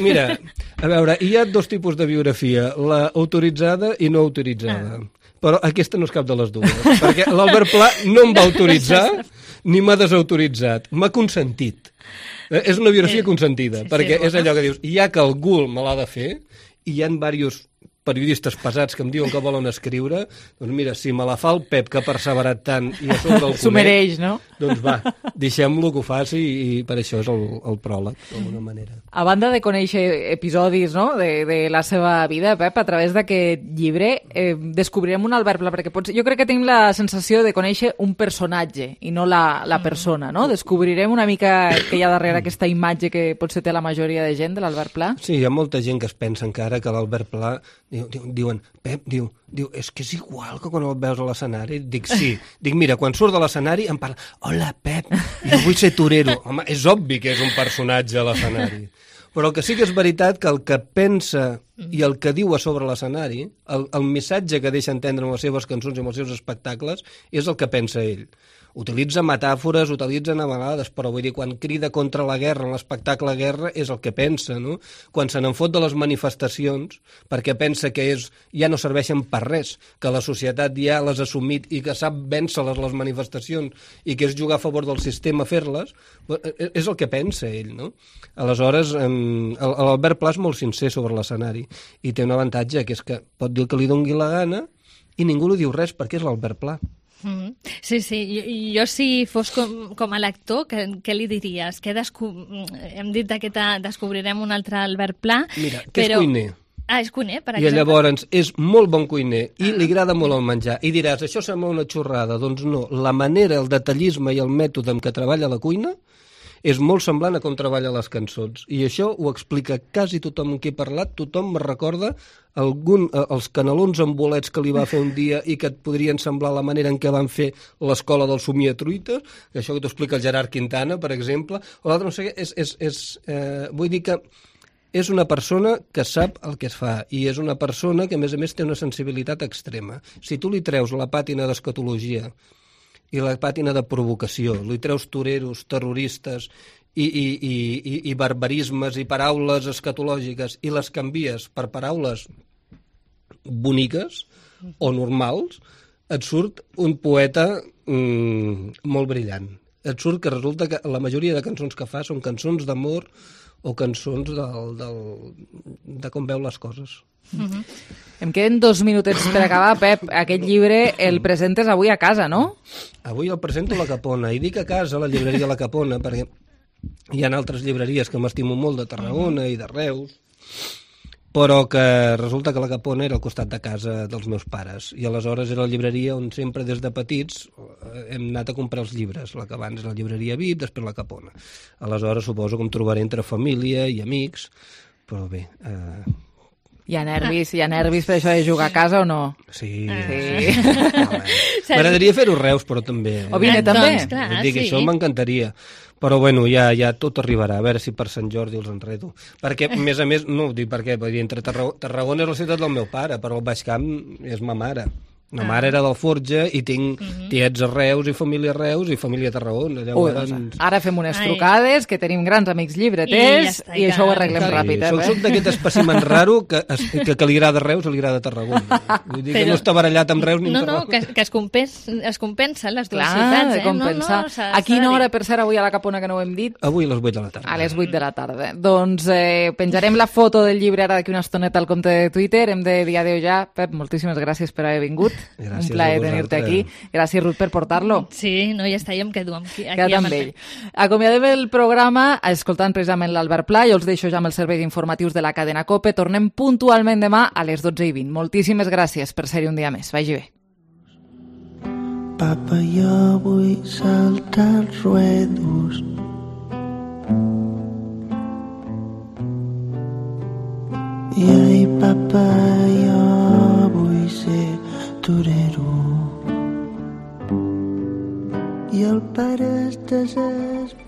mira, a veure, hi ha dos tipus de biografia, la autoritzada i no autoritzada. Però aquesta no és cap de les dues, perquè l'Albert Pla no em va autoritzar ni m'ha desautoritzat, m'ha consentit. És una biografia consentida, perquè és allò que dius, ja que algú me l'ha de fer, i hi ha diversos periodistes pesats que em diuen que volen escriure, doncs mira, si me la fa el Pep, que ha perseverat tant i a sobre el s'ho mereix, no? Doncs va, deixem-lo que ho faci i per això és el pròleg, d'alguna manera. A banda de conèixer episodis, no?, de la seva vida, Pep, a través d'aquest llibre descobrirem un Albert Pla, perquè jo crec que tenim la sensació de conèixer un personatge i no la persona, no? Descobrirem una mica que hi ha darrere aquesta imatge que potser té la majoria de gent de l'Albert Pla. Sí, hi ha molta gent que es pensa encara que l'Albert Pla Diuen, Pep, diu, és que és igual que quan el veus a l'escenari. Dic, sí. Dic, mira, quan surt de l'escenari em parla, hola, Pep, jo vull ser torero. Home, és obvi que és un personatge a l'escenari. Però el que sí que és veritat que el que pensa i el que diu a sobre l'escenari, el missatge que deixa entendre amb les seves cançons i amb els seus espectacles, és el que pensa ell. Utilitza metàfores, utilitza navalades, però vull dir, quan crida contra la guerra en l'espectacle Guerra és el que pensa, no? Quan se n'en fot de les manifestacions, perquè pensa que ja no serveixen per res, que la societat ja les ha assumit i que sap vèncer-les les manifestacions i que és jugar a favor del sistema fer-les, és el que pensa ell, no? Aleshores, l'Albert Pla és molt sincer sobre l'escenari i té un avantatge, que és que pot dir el que li doni la gana i ningú li diu res perquè és l'Albert Pla. Sí, jo si fos com a lector, què li diries? Hem dit que descobrirem un altre Albert Pla. Mira, que és cuiner. És cuiner, per exemple. I llavors és molt bon cuiner i li agrada molt el menjar. I diràs, això sembla una xorrada. Doncs no, la manera, el detallisme i el mètode amb què treballa la cuina és molt semblant a com treballa les cançons. I això ho explica quasi tothom amb qui he parlat. Tothom me recorda els canelons amb bolets que li va fer un dia i que et podrien semblar la manera en què van fer l'escola del somiatruites, que això que t'ho explica el Gerard Quintana, per exemple. O l'altre, no sé què, vull dir que és una persona que sap el que es fa i és una persona que, a més, té una sensibilitat extrema. Si tu li treus la pàtina d'escatologia i la pàtina de provocació, li treus toreros, terroristes i barbarismes i paraules escatològiques i les canvies per paraules boniques o normals, et surt un poeta molt brillant. Et surt que resulta que la majoria de cançons que fa són cançons d'amor o cançons de com veu les coses. Em queden 2 minutets per acabar. Pep, aquest llibre el presentes avui a casa, no? Avui el presento a la Capona, i dic a casa, a la llibreria La Capona, perquè hi ha altres llibreries que m'estimo molt de Tarragona i de Reus, però que resulta que La Capona era al costat de casa dels meus pares, i aleshores era la llibreria on sempre des de petits hem anat a comprar els llibres, la que abans era la llibreria VIP, després La Capona. Aleshores suposo que em trobaré entre família i amics, però bé... Hi ha nervis per això de jugar a casa o no? Sí. M'agradaria fer-ho a Reus, però també. O vine també. Doncs, clar, dic, això m'encantaria. Però bueno, ja tot arribarà, a veure si per Sant Jordi els enredo. Perquè, a més, no ho dic perquè, entre Tarragona és la ciutat del meu pare, però el Baix Camp és ma mare. Ma mare era del Forja i tinc tiets a Reus i família a Reus i família a Tarragona. Ara fem unes trucades, que tenim grans amics llibreters i això ho arreglem ràpid. Soc d'aquest espècimen raro que li agrada Reus o li agrada Tarragona. Vull dir que no està barallat amb Reus ni amb Tarragona. No, que es compensen les dues ciutats. Compensar. A quina hora, per ser, avui a la Capona, que no ho hem dit? Avui a les 8 de la tarda. A les 8 de la tarda. Doncs penjarem la foto del llibre ara d'aquí una estoneta al compte de Twitter. Hem de dir adéu ja. Pep, moltíssimes gràcies per haver vingut. Gràcies, un plaer tenir-te aquí. Gràcies, Ruth, per portar-lo. Sí, no, ja està, jo em quedo aquí amb ell. Acomiadem el programa escoltant precisament l'Albert Pla. Jo els deixo ja amb els serveis informatius de la cadena COPE. Tornem puntualment demà a les 12:20. Moltíssimes gràcies per ser-hi un dia més. Vagi bé. Papa, jo vull saltar els ruedos. I ai, papa, jo vull ser torero. I el pare es desespera